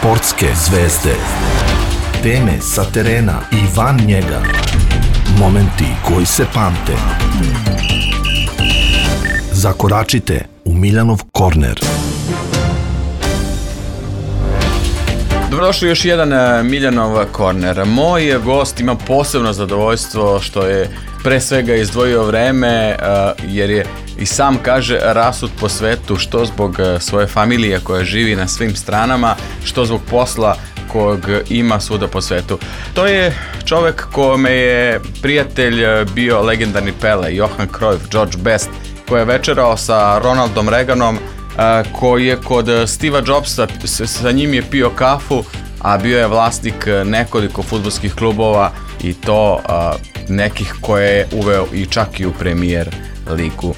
Sportske zvezde. Teme sa terena i van njega. Momenti koji se pamte. Zakoračite u Miljanov korner. Dobrodošli u još jedan Miljanov korner. Moj gost ima posebno zadovoljstvo što je pre svega izdvojio vreme, jer je i sam kaže rasut po svetu, što zbog svoje familije koja živi na svim stranama, što zbog posla kojeg ima svuda po svetu. To je čovjek kome je prijatelj bio legendarni Pele, Johan Cruyff, George Best, koji je večerao sa Ronaldom Reaganom, koji je kod Steva Jobsa, sa njim je pio kafu, a bio je vlasnik nekoliko fudbalskih klubova i to nekih koje je uveo i čak i u Premier ligu.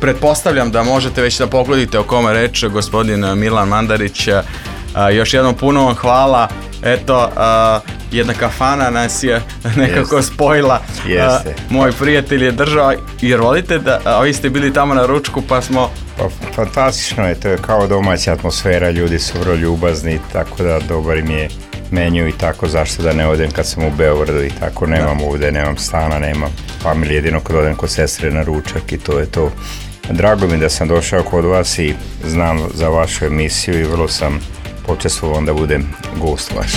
Pretpostavljam da možete već da pogledite o kome reč, gospodin Milan Mandarić. Još jednom puno vam hvala. Eto, jedna kafana nas je nekako spojila. Moj prijatelj je držao, jer volite da, vi ste bili tamo na ručku pa smo... Pa, fantastično je, to je kao domaća atmosfera, ljudi su vrlo ljubazni, tako da dobar im je menju i tako, zašto da ne odem kad sam u Beogradu i tako, nemam ovdje, nemam stana, nemam familije, jedino kad odem kod sestre na ručak i to je to. Drago mi da sam došao kod vas i znam za vašu emisiju i vrlo sam počestvovan da budem gost vaš.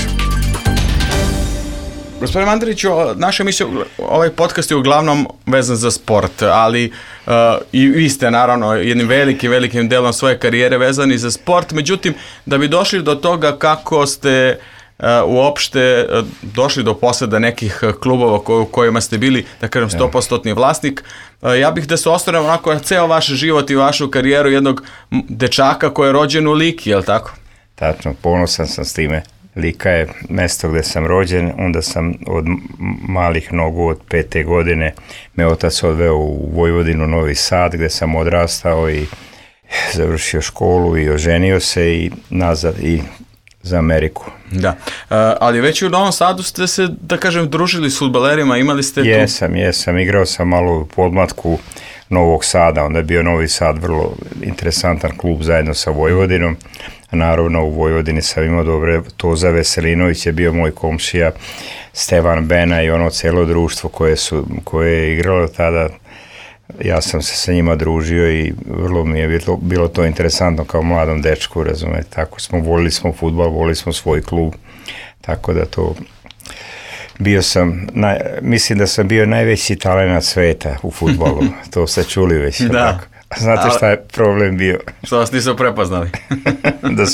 Gospodine Mandariću, naša emisija, ovaj podcast je uglavnom vezan za sport, ali i vi ste naravno jednim velikim delom svoje karijere vezani za sport, međutim, da bi došli do toga kako ste uopšte došli do poseda nekih klubova u kojima ste bili, da kažem, 100% vlasnik, ja bih da se osvrnem onako na ceo vaš život i vašu karijeru jednog dečaka koji je rođen u Liki, je li tako? Tačno, ponosan sam s time. Lika je mesto gde sam rođen, onda sam od malih nogu, od 5. godine, me otac odveo u Vojvodinu, Novi Sad, gde sam odrastao i završio školu i oženio se i nazad i za Ameriku. Da, ali već u Novom Sadu ste se, da kažem, družili s fudbalerima, imali ste tu... Jesam, igrao sam malo u podmlatku Novog Sada, onda je bio Novi Sad vrlo interesantan klub zajedno sa Vojvodinom. Naravno u Vojvodini sam imao dobre, Toza Veselinović je bio moj komšija, Stevan Bena i ono celo društvo koje je igralo tada. Ja sam se sa njima družio i vrlo mi je bilo to interesantno kao mladom dečku, razumete. Tako volili smo fudbal, volili smo svoj klub, tako da to... mislim da sam bio najveći talenat sveta u fudbalu, to ste čuli već. Da. Tako. Znate šta je problem bio? Što vas nisu prepoznali? Da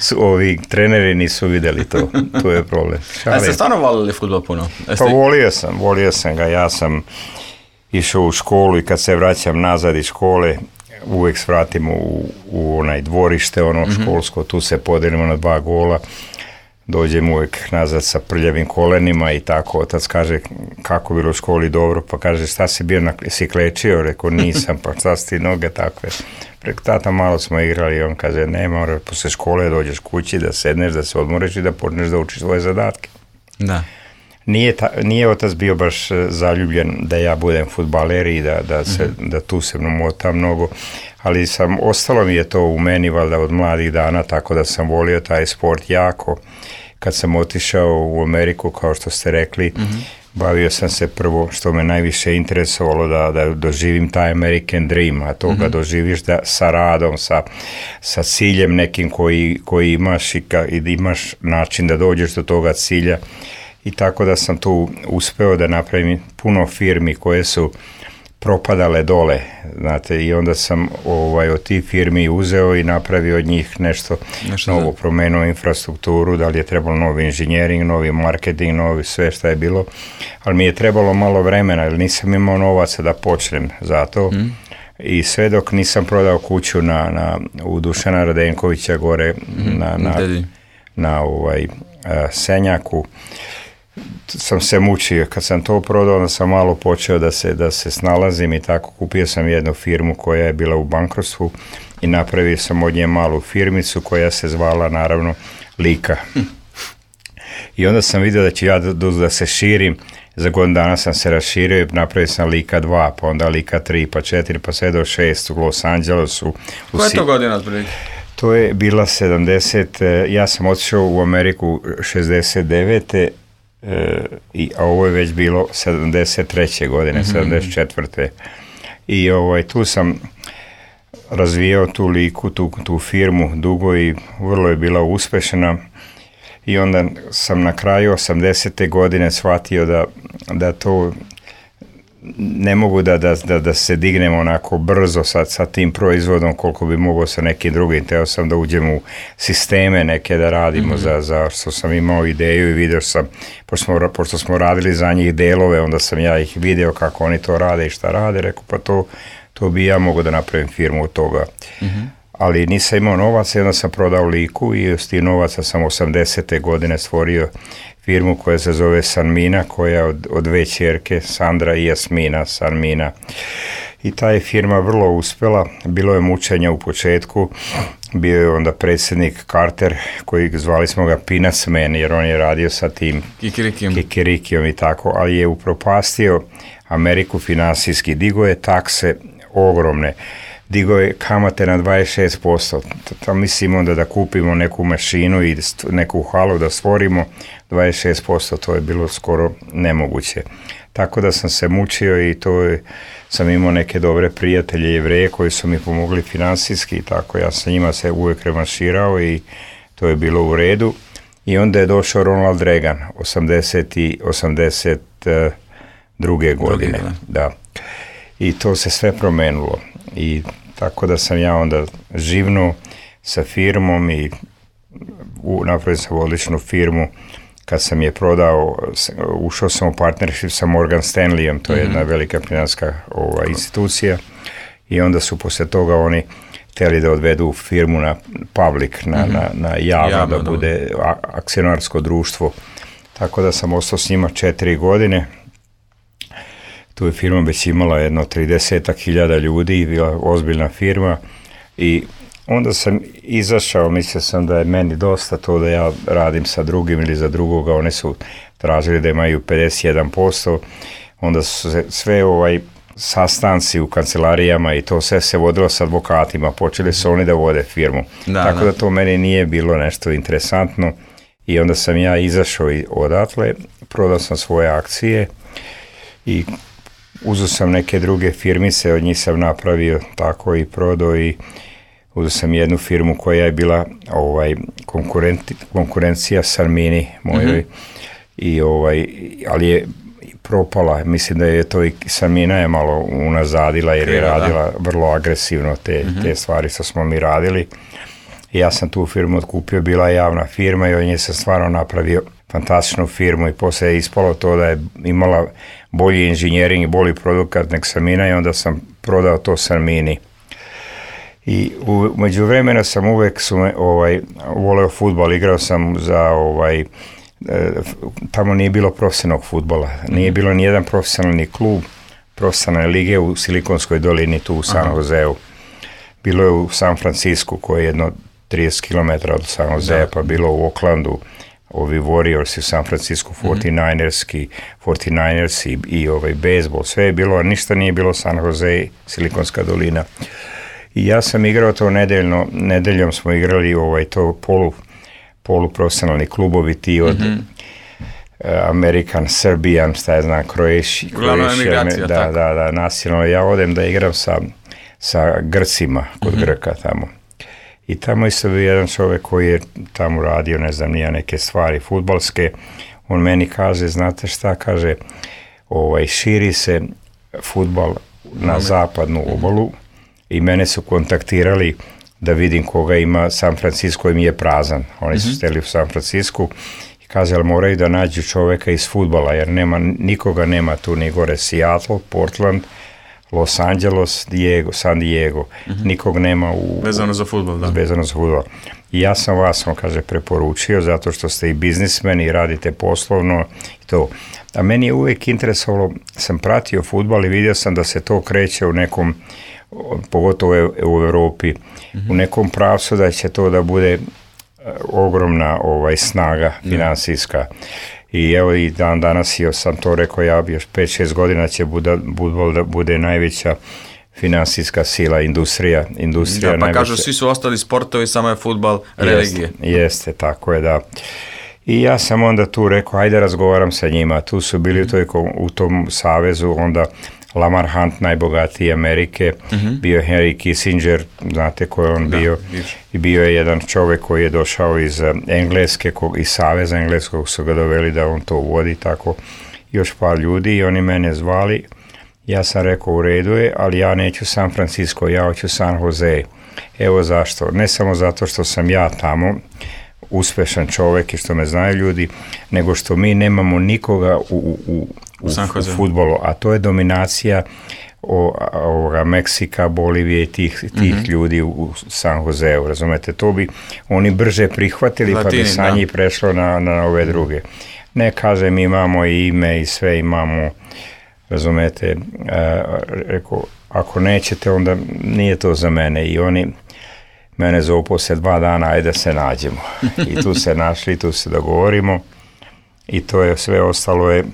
su ovi treneri nisu vidjeli to, to je problem. A ste stvarno volili fudbal puno? Pa volio sam ga, ja sam išao u školu i kad se vraćam nazad iz škole, uvijek svratim u onaj dvorište, školsko, tu se podelimo na 2 gola, dođem uvijek nazad sa prljavim kolenima i tako, otac kaže kako bilo u školi dobro, pa kaže šta si bio, si klečio, rekao nisam, pa šta si ti noge takve, preko tata malo smo igrali i on kaže ne, mora posle škole dođeš kući da sedneš, da se odmoriš i da počneš da učiš svoje zadatke. Da. Nije otac bio baš zaljubljen da ja budem fudbaler i da tu se motam mnogo, ali ostalo mi je to u meni valjda od mladih dana, tako da sam volio taj sport jako. Kad sam otišao u Ameriku, kao što ste rekli, bavio sam se prvo, što me najviše interesovalo, da doživim taj American Dream, a to ga doživiš sa radom, sa ciljem nekim koji imaš i da imaš način da dođeš do toga cilja. I tako da sam tu uspeo da napravim puno firmi koje su propadale dole, znate, i onda sam od tih firmi uzeo i napravio od njih nešto novo, promenuo infrastrukturu, da li je trebalo novi inženjering, novi marketing, novi sve šta je bilo, ali mi je trebalo malo vremena, jer nisam imao novaca da počnem za to. I sve dok nisam prodao kuću u Dušana Radenkovića gore na Senjaku, sam se mučio. Kad sam to prodao, onda sam malo počeo da se snalazim i tako. Kupio sam jednu firmu koja je bila u bankrotstvu i napravio sam od nje malu firmicu koja se zvala naravno Lika. I onda sam vidio da ću ja da se širim. Za godinu dana sam se raširio i napravio sam Lika 2, pa onda Lika 3, pa 4, pa sve do 6 u Los Angelesu. Koja je to godina otprilike? To je bila 70, ja sam otišao u Ameriku 69. A ovo je već bilo 73. godine, 74. I tu sam razvijao tu liku, tu firmu dugo i vrlo je bila uspešna. I onda sam na kraju 80. godine shvatio da to ne mogu da se dignem onako brzo sa tim proizvodom koliko bi mogao sa nekim drugim. Teo sam da uđem u sisteme neke da radimo za što sam imao ideju i vidio sam, pošto smo radili za njih delove, onda sam ja ih video kako oni to rade i šta rade, rekao pa to bi ja mogao da napravim firmu od toga. Ali nisam imao novaca i onda sam prodao liku i s tim novaca sam 80. godine stvorio firmu koja se zove Sanmina, koja je od dve ćerke, Sandra i Jasmina, Sanmina. I ta je firma vrlo uspjela, bilo je mučenja u početku, bio je onda predsjednik Carter, koji zvali smo ga Peanuts Man, jer on je radio sa tim Kikirikijom i tako, ali je upropastio Ameriku finansijski, digo je takse ogromne, digo je kamate na 26%, tam mislim onda da kupimo neku mašinu i neku halu da stvorimo, 26%, to je bilo skoro nemoguće. Tako da sam se mučio i sam imao neke dobre prijatelje Jevreje koji su mi pomogli finansijski i tako, ja sam njima se uvijek revanširao i to je bilo u redu. I onda je došao Ronald Reagan, 82. godine. Da. I to se sve promenilo. I tako da sam ja onda živnuo sa firmom i napravio sam odličnu firmu. Kad sam je prodao, ušao sam u partnership sa Morgan Stanleyem, to je jedna velika financijska institucija, i onda su poslije toga oni htjeli da odvedu firmu na public, na javno, da bude akcionarsko društvo. Tako da sam ostao s njima 4 godine. Tu je firma već imala jedno 30.000 ljudi, bila ozbiljna firma i onda sam izašao, mislio sam da je meni dosta to da ja radim sa drugim ili za drugoga, oni su tražili da imaju 51%, onda su sve sastanci u kancelarijama i to sve se vodilo s advokatima, počeli su oni da vode firmu, tako da to meni nije bilo nešto interesantno i onda sam ja izašao odatle, prodao sam svoje akcije i uzeo sam neke druge firmice, od njih sam napravio tako i prodao i uzeo sam jednu firmu koja je bila konkurencija Sanmini mojoj, ali je propala. Mislim da je to i Sanmina je malo unazadila jer je radila vrlo agresivno te stvari što smo mi radili. I ja sam tu firmu otkupio, bila javna firma i od nje sam stvarno napravio fantastičnu firmu i poslije je ispalo to da je imala bolji inženjering i bolji produkt nek Sanmina i onda sam prodao to Sanmini. I među vremena sam uvek voleo fudbal, igrao sam za tamo nije bilo profesionalnog fudbala, nije bilo nijedan profesionalni klub profesionalne lige u Silikonskoj dolini tu u San Joseu. Bilo je u San Francisku koji je jedno 30 km od San Josea, pa bilo u Oaklandu, ovi Warriors u San Francisku, 49ers i bejsbol, sve je bilo, a ništa nije bilo San Jose, Silikonska dolina. I ja sam igrao to nedeljom smo igrali to poluprofesionalni klubovi ti od American, Serbian, šta je znam, Croatia, nacionalno. Ja odem da igram sa Grcima, kod Grka tamo. I tamo isto bio jedan čovjek koji je tamo radio, ne znam, nije neke stvari fudbalske. On meni kaže, znate šta, kaže, širi se fudbal na zapadnu obalu i mene su kontaktirali da vidim koga ima. San Francisco im je prazan. Oni su steli u San Francisco i kaže, ali moraju da nađu čovjeka iz fudbala, jer nikoga nema tu ni gore. Seattle, Portland, Los Angeles, San Diego, nikog nema vezano za fudbal, da. Vezano za fudbal. I ja sam vas, on kaže, preporučio zato što ste i biznismen i radite poslovno i to. A meni je uvijek interesovalo, sam pratio fudbal i vidio sam da se to kreće u nekom, pogotovo u Europi, u nekom pravcu da će to da bude ogromna snaga finansijska. I evo i danas sam to rekao, ja još 5-6 godina će fudbal da bude najveća finansijska sila, industrija da, pa kažu svi su ostali sportovi, samo je fudbal religije. Jeste, tako je, da. I ja sam onda tu rekao, ajde razgovaram sa njima. Tu su bili u tom savezu onda Lamar Hunt, najbogatiji Amerike, bio Henry Kissinger, znate ko je on bio, i bio je jedan čovjek koji je došao iz Engleske, iz Saveza Engleskog su ga doveli da on to vodi, tako, još par ljudi i oni mene zvali. Ja sam rekao, u redu je, ali ja neću San Francisco, ja hoću San Jose. Evo zašto, ne samo zato što sam ja tamo, uspešan čovjek i što me znaju ljudi, nego što mi nemamo nikoga u fudbalu, a to je dominacija Meksika, Bolivije i tih ljudi u San Joseu, razumete, to bi oni brže prihvatili pa bi sa njih prešlo na ove druge. Ne kažem, imamo i ime i sve imamo, razumete, rekao, ako nećete onda nije to za mene i oni mene zovu poslije 2 dana, ajde se nađemo. I tu se našli, tu se dogovorimo i to je sve ostalo je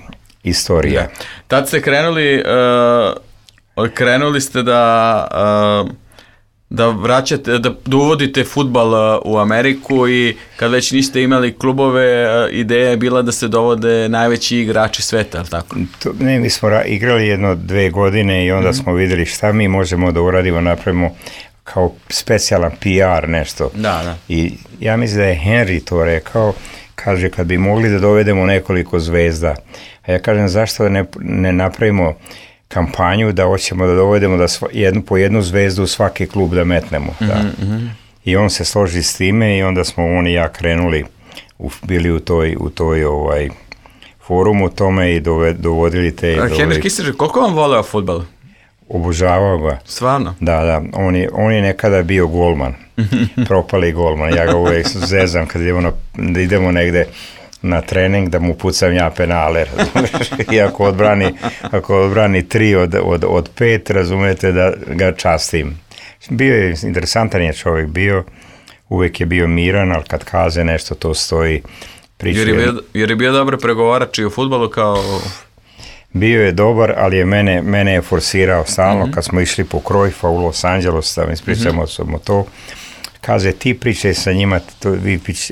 istorija. Da. Tad ste krenuli ste da vraćate, da uvodite fudbal u Ameriku i kad već niste imali klubove, ideja je bila da se dovode najveći igrači sveta, ali tako? Ne, mi smo igrali 1-2 godine i onda smo vidjeli šta mi možemo da uradimo, napravimo kao specijalan PR nešto. Da. I ja mislim da je Henry to rekao, kaže kad bi mogli da dovedemo nekoliko zvezda, a ja kažem zašto ne napravimo kampanju da hoćemo da dovedemo da po jednu zvezdu u svaki klub da metnemo. Da. I on se složi s time i onda smo on i ja krenuli, bili u toj forumu tome i dovodili te... Henry Kissinger, koliko vam voleo fudbal? Obožavao ga. Stvarno? Da, on je nekada bio golman, propali golman, ja ga uvijek zezam kad idemo negde na trening da mu pucam ja penale, i ako odbrani 3 od 5, razumete da ga častim. Bio je, interesantan je čovjek bio, uvijek je bio miran, ali kad kaze nešto to stoji. Jer je bio dobar pregovarač i u fudbalu kao... Bio je dobar, ali mene je forsirao stalno kad smo išli po Cruyffa u Los Angeles, da mi ispričamo to. Kaže, ti pričaj sa njima,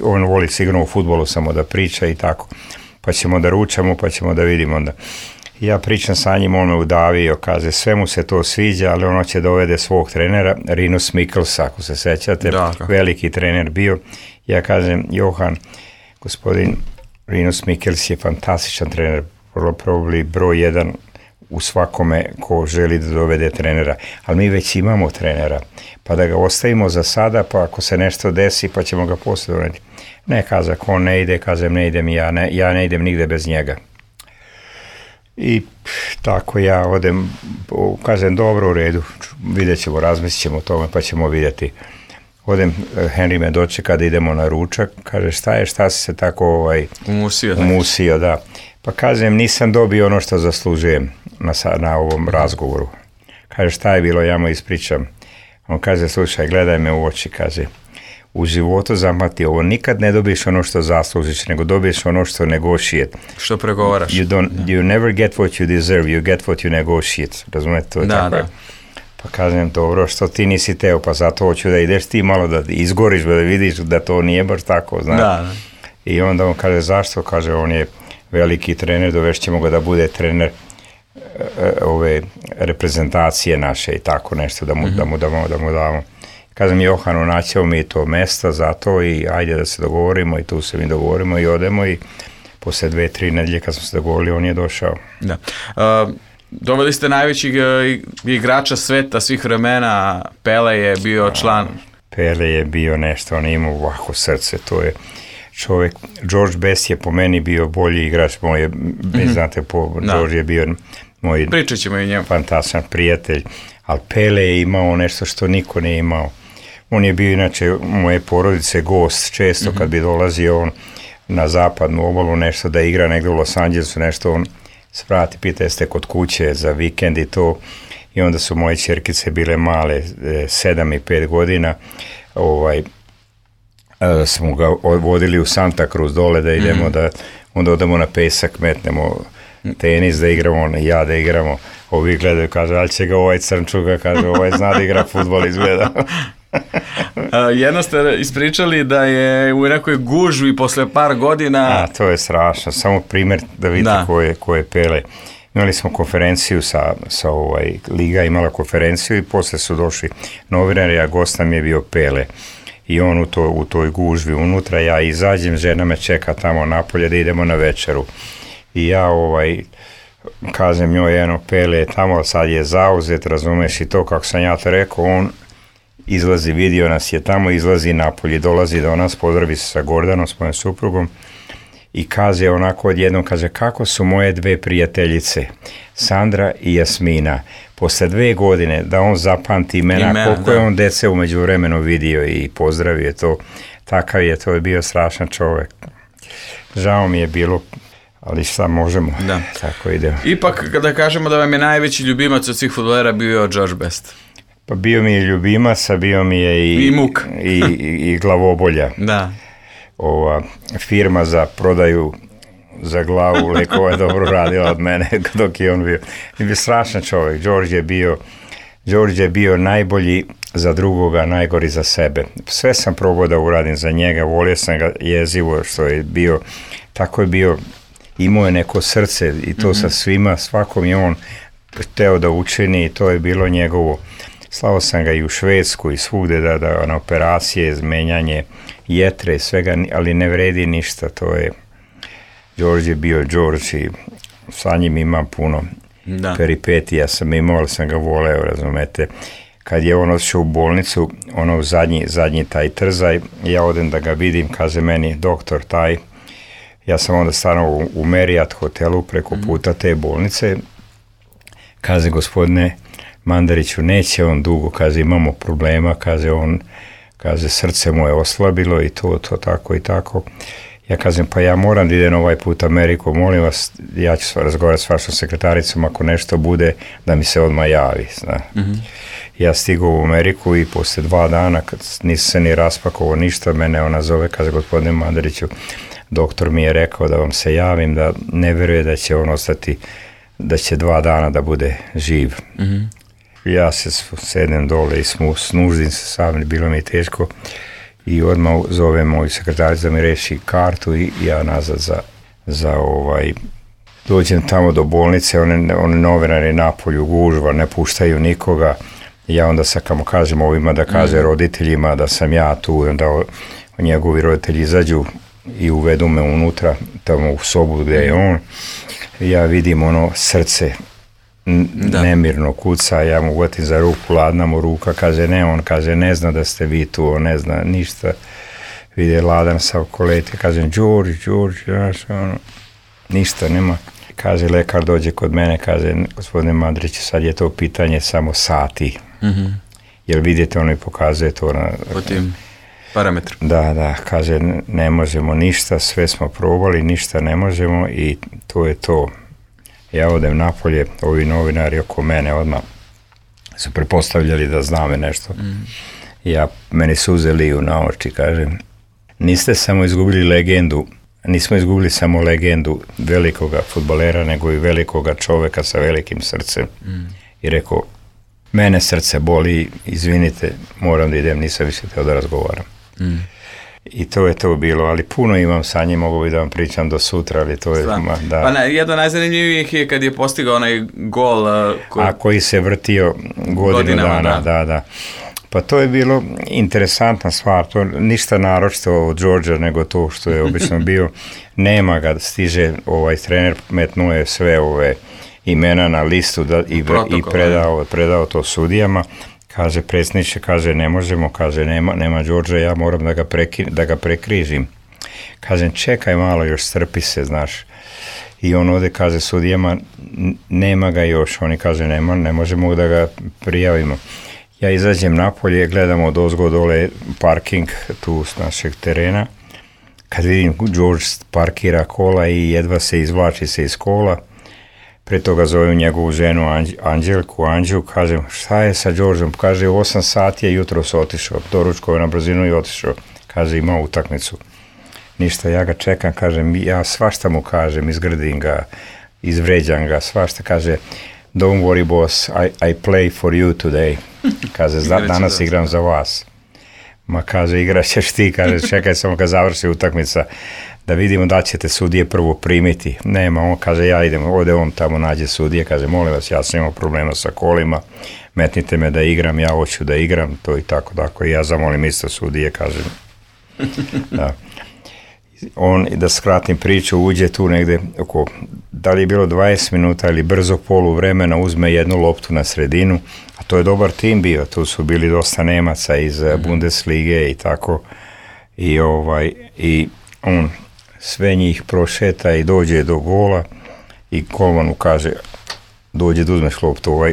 on voli sigurno u fudbalu samo da priča i tako. Pa ćemo da ručamo, pa ćemo da vidimo onda. Ja pričam sa njim, on me udavio, kaže, sve mu se to sviđa, ali ono će dovede svog trenera, Rinus Michels, ako se sećate, veliki trener bio. Ja kažem, Johan, gospodin Rinus Michels je fantastičan trener, probably broj 1 u svakome ko želi da dovede trenera, ali mi već imamo trenera, pa da ga ostavimo za sada, pa ako se nešto desi, pa ćemo ga poslije doneti. Ne, kazak, on ne ide, kažem, ne idem ja ne idem nigde bez njega. I tako ja odem, kažem, dobro, u redu, vidjet ćemo, razmislit ćemo o tome, pa ćemo vidjeti. Odem, Henry me dočeka da idemo na ručak, kaže, šta si se tako umusio, da. Pa kažem, nisam dobio ono što zaslužujem na ovom razgovoru. Kaže, šta je bilo, ja mu ispričam. On kaže, slušaj, gledaj me u oči, kaže, u životu zamati ovo, nikad ne dobiješ ono što zaslužiš, nego dobiješ ono što negotiate. Što pregovaraš. You never get what you deserve, you get what you negotiate. Razumete, to je tako. Da. Pa kažem, dobro, što ti nisi teo, pa zato hoću da ideš ti malo da izgoriš, da vidiš da to nije baš tako, znaš. Da. I onda on kaže, zašto? Kaže, on je veliki trener, dovešćemo ga da bude trener ove reprezentacije naše i tako nešto, da mu damo. Kažem, Johanu, naćemo mi to mesta za to i ajde da se dogovorimo i tu se mi dogovorimo i odemo i posle 2-3 nedelje kad smo se dogovorili, on je došao. Da. Doveli ste najvećih igrača sveta svih vremena, Pele je bio član. Pele je bio nešto, on je imao ovako srce, to je čovjek. George Best je po meni bio bolji igrač, znate, George je bio moj fantastičan prijatelj, ali Pele je imao nešto što niko nije imao. On je bio inače moje porodice gost, često kad bi dolazio on na zapadnu obalu nešto da igra negdje u Los Angelesu, nešto on svrati, pita jeste kod kuće za vikend i to, i onda su moje ćerkice bile male, 7 i 5 godina, smo ga vodili u Santa Cruz dole da idemo onda odemo na pesak, metnemo tenis da igramo, ja da igramo. Ovi gledaju, kaže, ali će ga ovaj crnčuga, kaže, ovaj zna da igra fudbal, izgleda. Jedno ste ispričali da je u nekoj gužvi posle par godina... To je strašno, samo primjer da vidite ko je Pele. Imali smo konferenciju Liga imala konferenciju i posle su došli novinari, a gost nam je bio Pele. I on u toj gužvi unutra, ja izađem, žena me čeka tamo napolje da idemo na večeru. I ja kažem njoj, Pele je tamo, sad je zauzet, razumeš, i to kako sam ja to rekao, on izlazi, vidio nas je tamo, izlazi napolje, dolazi do nas, pozdravi se sa Gordanom, s mojom suprugom, i kaže onako odjednom, kaže, kako su moje dve prijateljice, Sandra i Jasmina, posle 2 godine da on zapamti imena, koliko je on dece umeđu vremenu vidio i pozdravio to, takav je, to je bio strašan čovjek. Žao mi je bilo, ali šta možemo, tako idemo. Ipak, kada kažemo da vam je najveći ljubimac od svih fudbalera bio George Best. Pa bio mi je ljubimac, a bio mi je i muk. I glavobolja. Da. Ova firma za prodaju za glavu lekova je dobro radila od mene dok je on bio. I bio strašan čovjek. George je bio najbolji za drugoga, najgori za sebe. Sve sam probao da uradim za njega, volio sam ga jezivo što je bio, tako je bio, imao je neko srce i to sa svima, svakom je on hteo da učini i to je bilo njegovo. Slao sam ga i u Švedsku i svugde da na operacije, menjanje jetre, svega, ali ne vredi ništa, to je, George je bio George i sa njim imam puno peripetija sam imao, ali sam ga voleo, razumete. Kad je on otišao u bolnicu, zadnji taj trzaj, ja odem da ga vidim, kaže meni doktor taj, ja sam onda stanovao u Marriott hotelu preko puta te bolnice, kaže gospodine Mandariću, neće on dugo, kaže imamo problema, kaže srce mu je oslabilo i to tako i tako. Ja kažem, pa ja moram da idem ovaj put Ameriku, molim vas, ja ću razgovarati s vašom sekretaricom, ako nešto bude, da mi se odmah javi. Ja stigao u Ameriku i posle 2 dana, kad nisam se ni raspakovao ništa, mene ona zove, kaže gospodine Mandariću, doktor mi je rekao da vam se javim, da ne veruje da će on ostati, da će 2 dana da bude živ. Ja se sednem dole i snuždim se sam, bilo mi je teško i odmah zove moju sekretaricu da mi reši kartu i ja nazad za dođem tamo do bolnice, one novinari napolju gužva, ne puštaju nikoga, ja onda samo kažem ovima da kaže roditeljima da sam ja tu, onda njegovi roditelji izađu i uvedu me unutra, tamo u sobu gdje je on, ja vidim srce nemirno kuca, ja mu uvatim za ruku, ladna mu ruka, kaže ne, on kaže ne zna da ste vi tu, on ne zna ništa, vidi ladan sa okolete, kažem George, ništa nema, kaže lekar dođe kod mene, kaže gospodine Mandarić, sad je to pitanje samo sati, jer vidite ono i pokazuje to po tim parametru. Da, kaže ne možemo ništa, sve smo probali, ništa ne možemo i to je to. Ja odem napolje, ovi novinari oko mene odmah su prepostavljali da zname nešto. Meni suze liju na oči, kažem, niste samo izgubili legendu, nismo izgubili samo legendu velikoga fudbalera, nego i velikoga čoveka sa velikim srcem. I rekao, mene srce boli, izvinite, moram da idem, nisam više teo da razgovaram. I to je to bilo, ali puno imam sa njim, mogu bi da vam pričam do sutra, ali to je... Pa jedno najzanimljivijih je kad je postigao onaj gol... koji se vrtio godinu dana, da. Pa to je bilo interesantna stvar, to ništa naročito od Georgea, nego to što je obično bio, nema ga, stiže trener, metnuo je sve ove imena na listu i predao to sudijama. Kaže, predsjedniče, kaže, ne možemo, kaže, nema Georgea, ja moram da ga prekrižim. Kažem, čekaj malo, još strpi se, znaš. I on ode, kaže sudijama, nema ga još, oni kaže, ne možemo da ga prijavimo. Ja izađem napolje, gledamo odozgo dole parking tu s našeg terena. Kad vidim, George parkira kola i jedva se izvlači se iz kola. Pre toga zovem njegovu ženu Anđu, kažem, šta je sa Georgeom? Kaže, u 8 sati je jutros otišao, doručkao na brzinu i otišao. Kaže, ima utakmicu. Ništa, ja ga čekam, kažem, ja svašta mu kažem, izgrdim ga, izvređam ga, svašta, kaže, don't worry boss, I play for you today. Kaže, danas igram za vas. Ma kaže, igraćeš ti, kaže, čekaj samo kad završi utakmica, da vidimo da ćete sudije prvo primiti. Nema, on kaže, ja idem, ovdje on tamo nađe sudije, kaže, molim vas, ja sam imao problema sa kolima, metnite me da igram, ja hoću da igram, to i tako, i ja zamolim isto sudije, kažem. Da. On, da skratim priču, uđe tu negde oko, da li je bilo 20 minuta ili brzo polu vremena, uzme jednu loptu na sredinu, a to je dobar tim bio, tu su bili dosta Nemaca iz Bundeslige i tako, i on sve njih prošeta i dođe do gola i golmanu kaže, dođe da uzmeš loptu,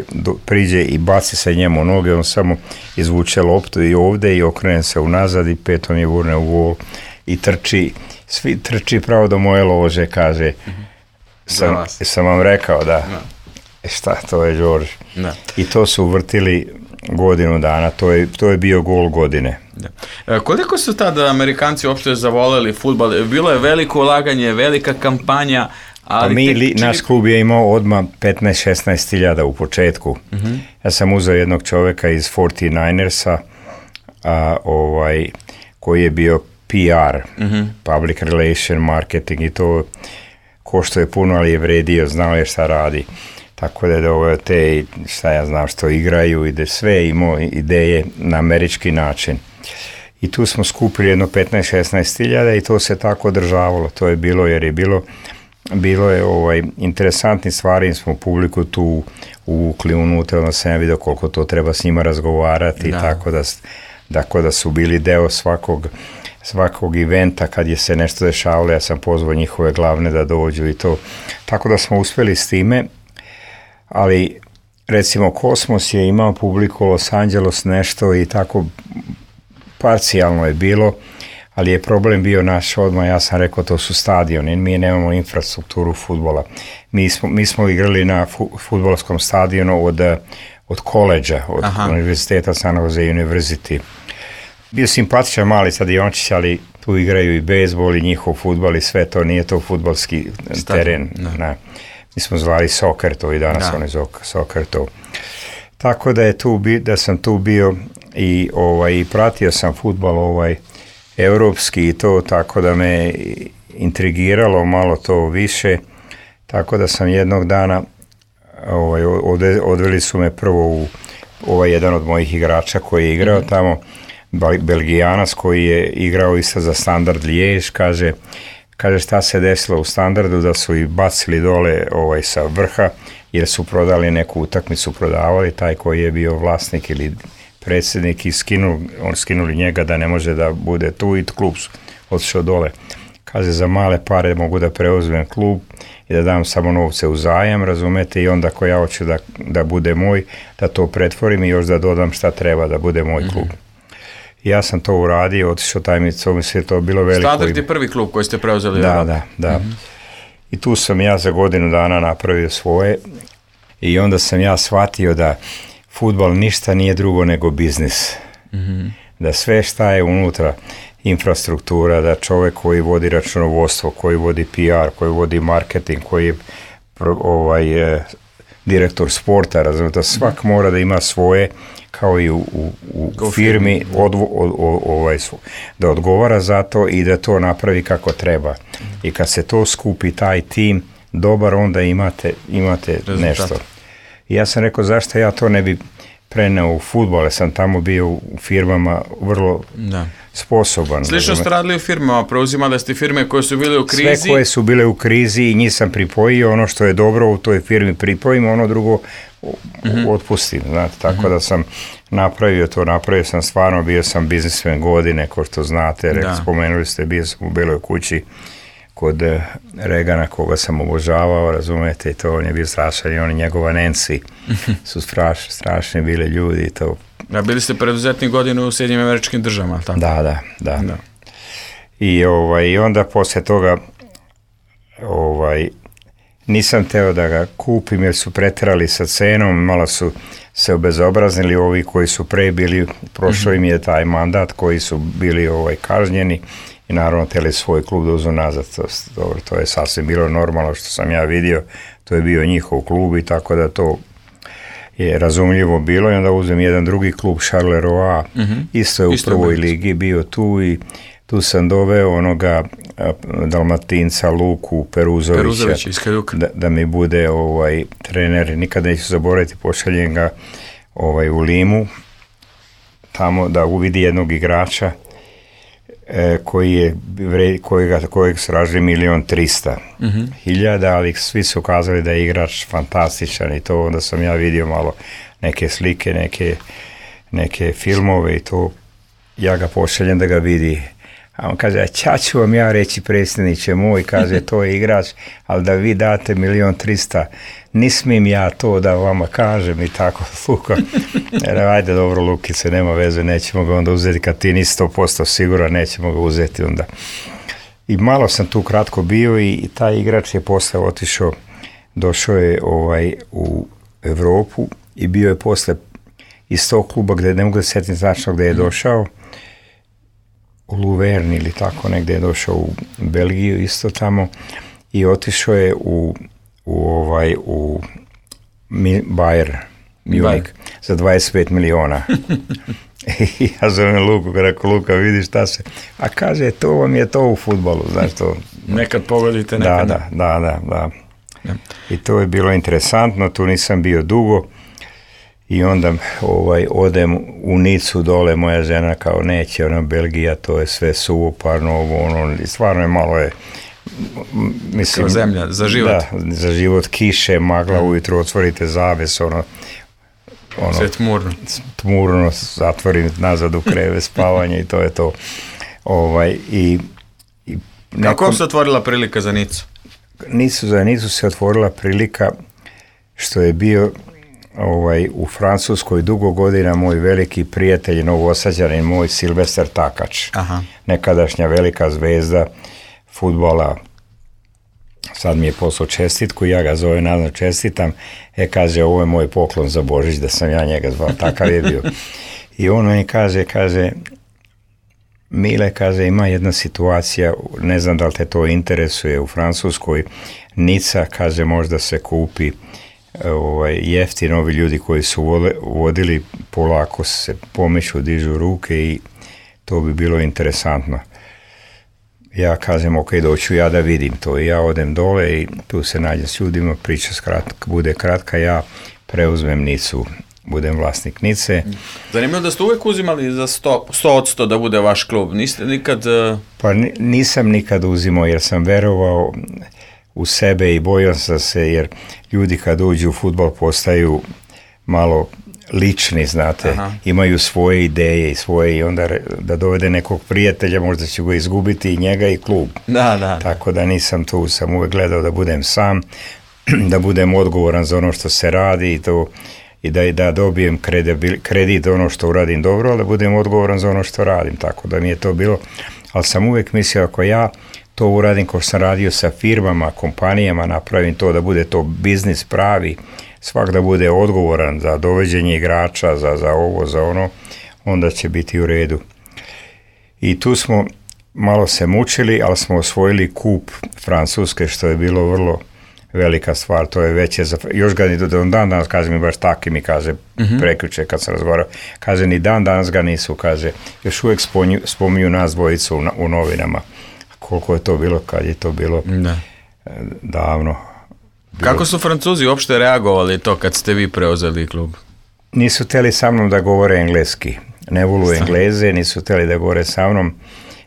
priđe i baci se njemu u noge, on samo izvuče loptu i ovde i okrene se unazad i petom je gurne u gol i trči pravo do moje lože, kaže, sam vam rekao da, šta, to je Đorđe. I to su vrtili godinu dana, to je bio gol godine. Da. Koliko su tada Amerikanci uopšte zavoleli fudbal? Bilo je veliko ulaganje, velika kampanja, ali... Naš klub je imao odmah 15-16 hiljada u početku. Ja sam uzeo jednog čoveka iz 49ersa, koji je bio PR, public relation, marketing i to košto je puno, ali je vredio, znao je šta radi. Tako da je te, šta ja znam, što igraju i da sve imao ideje na američki način. I tu smo skupili jedno 15-16 hiljada i to se tako održavalo. To je bilo, jer je bilo je interesantni stvari, smo publiku tu uvukli unutra, onda sam ja vidio koliko to treba s njima razgovarati, tako da su bili deo svakog eventa kad je se nešto dešavalo, ja sam pozvao njihove glavne da dođu i to. Tako da smo uspjeli s time, ali recimo Kosmos je imao publiku, Los Angeles nešto i tako parcijalno je bilo, ali je problem bio naš odmah, ja sam rekao to su stadioni, mi nemamo infrastrukturu fudbala. Mi smo igrali na fudbalskom stadionu od koleđa, od univerziteta San Jose University. Bio simpatičan mali stadiončić, ali tu igraju i bejzbol i njihov fudbal i sve to, nije to fudbalski teren. Mi smo zvali soccer to i danas oni zove soccer to. Tako da sam tu bio i pratio sam fudbal evropski i to, tako da me intrigiralo malo to više, tako da sam jednog dana odveli su me prvo u jedan od mojih igrača koji je igrao tamo, Belgijanac koji je igrao isto za Standard Liège, kaže šta se desilo u Standardu, da su i bacili dole sa vrha jer su prodali neku utakmicu, prodavali, taj koji je bio vlasnik ili predsjednik i skinuli njega da ne može da bude tu i klub su otišao dole. Kaže, za male pare mogu da preuzmem klub i da dam samo novce u zajam, razumete, i onda ako ja hoću da bude moj, da to pretvorim i još da dodam šta treba da bude moj klub. Ja sam to uradio, otišao taj mi se to bilo veliko. Standard je prvi klub koji ste preuzeli. Da. I tu sam ja za godinu dana napravio svoje i onda sam ja shvatio da fudbal ništa nije drugo nego biznis. Da sve šta je unutra, infrastruktura, da čovjek koji vodi računovodstvo, koji vodi PR, koji vodi marketing, koji je direktor sporta, razumijete, svak mora da ima svoje, kao i u firmi, da odgovara za to i da to napravi kako treba. I kad se to skupi, taj tim, dobar, onda imate nešto. I ja sam rekao, zašto ja to ne bi preneo u fudbal, ja sam tamo bio u firmama vrlo sposoban. Slično ste radili u firmama, preuzimali ste firme koje su bile u krizi? Sve koje su bile u krizi i njih sam pripojio, ono što je dobro u toj firmi pripojim, ono drugo otpustim, znate, tako da sam napravio sam stvarno, bio sam biznismen godine, ko što znate, spomenuli ste, bio sam u Beloj kući kod Regana, koga sam obožavao, razumete, i to on je bio strašan i on i njegova Nancy su strašni bili ljudi i to. Da, bili ste preduzetni godinu u Sjedinjenim Američkim Državama, tako? Da. I onda poslije toga nisam teo da ga kupim jer su preterali sa cenom, malo su se obezobraznili ovi koji su pre bili, prošao im je taj mandat koji su bili kažnjeni i naravno teli svoj klub da uzmu nazad. Dobro, to je sasvim bilo normalno što sam ja vidio, to je bio njihov klub i tako da to je razumljivo bilo i onda uzem jedan drugi klub, Charleroi, isto je u prvoj ligi bio tu i tu sam doveo onoga Dalmatinca Luku Peruzovića da mi bude trener, nikada neću zaboraviti, pošaljem ga u Limu tamo da uvidi jednog igrača kojeg su tražili 1.300.000, ali svi su ukazali da je igrač fantastičan i to onda sam ja vidio malo neke slike, neke filmove i to ja ga pošaljem da ga vidi. A on kaže, ča ću vam ja reći, predsjedniče moj, kaže, to je igrač, ali da vi date 1.300.000, ne smijem ja to da vama kažem i tako, Luka. Ajde, dobro, Lukice, nema veze, nećemo ga onda uzeti, kad ti nisi 100% siguran, nećemo ga uzeti onda. I malo sam tu kratko bio i taj igrač je posle otišao, došao je u Evropu i bio je posle iz tog kluba gde ne mogu da setim značno gde je došao, u Luverni ili tako negde je došao u Belgiju isto tamo i otišao je u Bayern Munich za 25 miliona. I ja zovem Luku, rekao, Luka, vidiš šta se, a kaže, to vam je to u fudbalu, znaš to. Nekad pogodite, nekad. Da. I to je bilo interesantno, tu nisam bio dugo. I onda odem u Nicu dole, moja žena kao neće, Belgija, to je sve suvoparno, stvarno je malo mislim, kao zemlja, za život. Da, za život, kiše, magla, ujutro otvorite zaves, sve tmurno, zatvorim nazad u kreve, spavanje i to je to. Kako se otvorila prilika za Nicu? Za Nicu se otvorila prilika što je bio u Francuskoj dugo godina moj veliki prijatelj, Novosađanin moj, Silvestar Takač. Nekadašnja velika zvezda fudbala. Sad mi je poslao čestitku, ja ga zovem, nazvam, čestitam. Kaže, ovo je moj poklon za Božić, da sam ja njega zvao, takav je bio. I on mi kaže, Mile, kaže, ima jedna situacija, ne znam da li te to interesuje, u Francuskoj, Nica, kaže, možda se kupi jeftino, ovi ljudi koji su vodili, polako se pomeću, dižu ruke i to bi bilo interesantno. Ja kažem, ok, doću ja da vidim to i ja odem dole i tu se nađem s ljudima, priča bude kratka, ja preuzmem Nicu, budem vlasnik Nice. Zanimljivo da ste uvek uzimali za 100% da bude vaš klub, niste nikad... Pa nisam nikad uzimao jer sam verovao u sebe i bojao sam se jer ljudi kad uđu u fudbal postaju malo lični, znate, imaju svoje ideje i svoje i onda da dovede nekog prijatelja možda ću ga izgubiti i njega i klub. Da. Tako da nisam tu, sam uvek gledao da budem sam, da budem odgovoran za ono što se radi i da dobijem kredit ono što uradim dobro, ali da budem odgovoran za ono što radim, tako da mi je to bilo, ali sam uvek mislio ako ja to uradim kao sam radio sa firmama, kompanijama, napravim to da bude to biznis pravi, svak da bude odgovoran za dovođenje igrača, za ovo, za ono, onda će biti u redu. I tu smo malo se mučili, ali smo osvojili kup Francuske, što je bilo vrlo velika stvar, to je veće za... Još ga ni dan danas, kaže mi baš taki mi kaže, prekjuče kad sam razgovarao, kaže ni dan danas ga nisu, kaže, još uvijek spominju nas dvojicu u novinama. Koliko je to bilo, kad je to bilo davno. Kako su Francuzi uopšte reagovali to kad ste vi preuzeli klub? Nisu htjeli sa mnom da govore engleski. Ne volu Engleze, nisu htjeli da govore sa mnom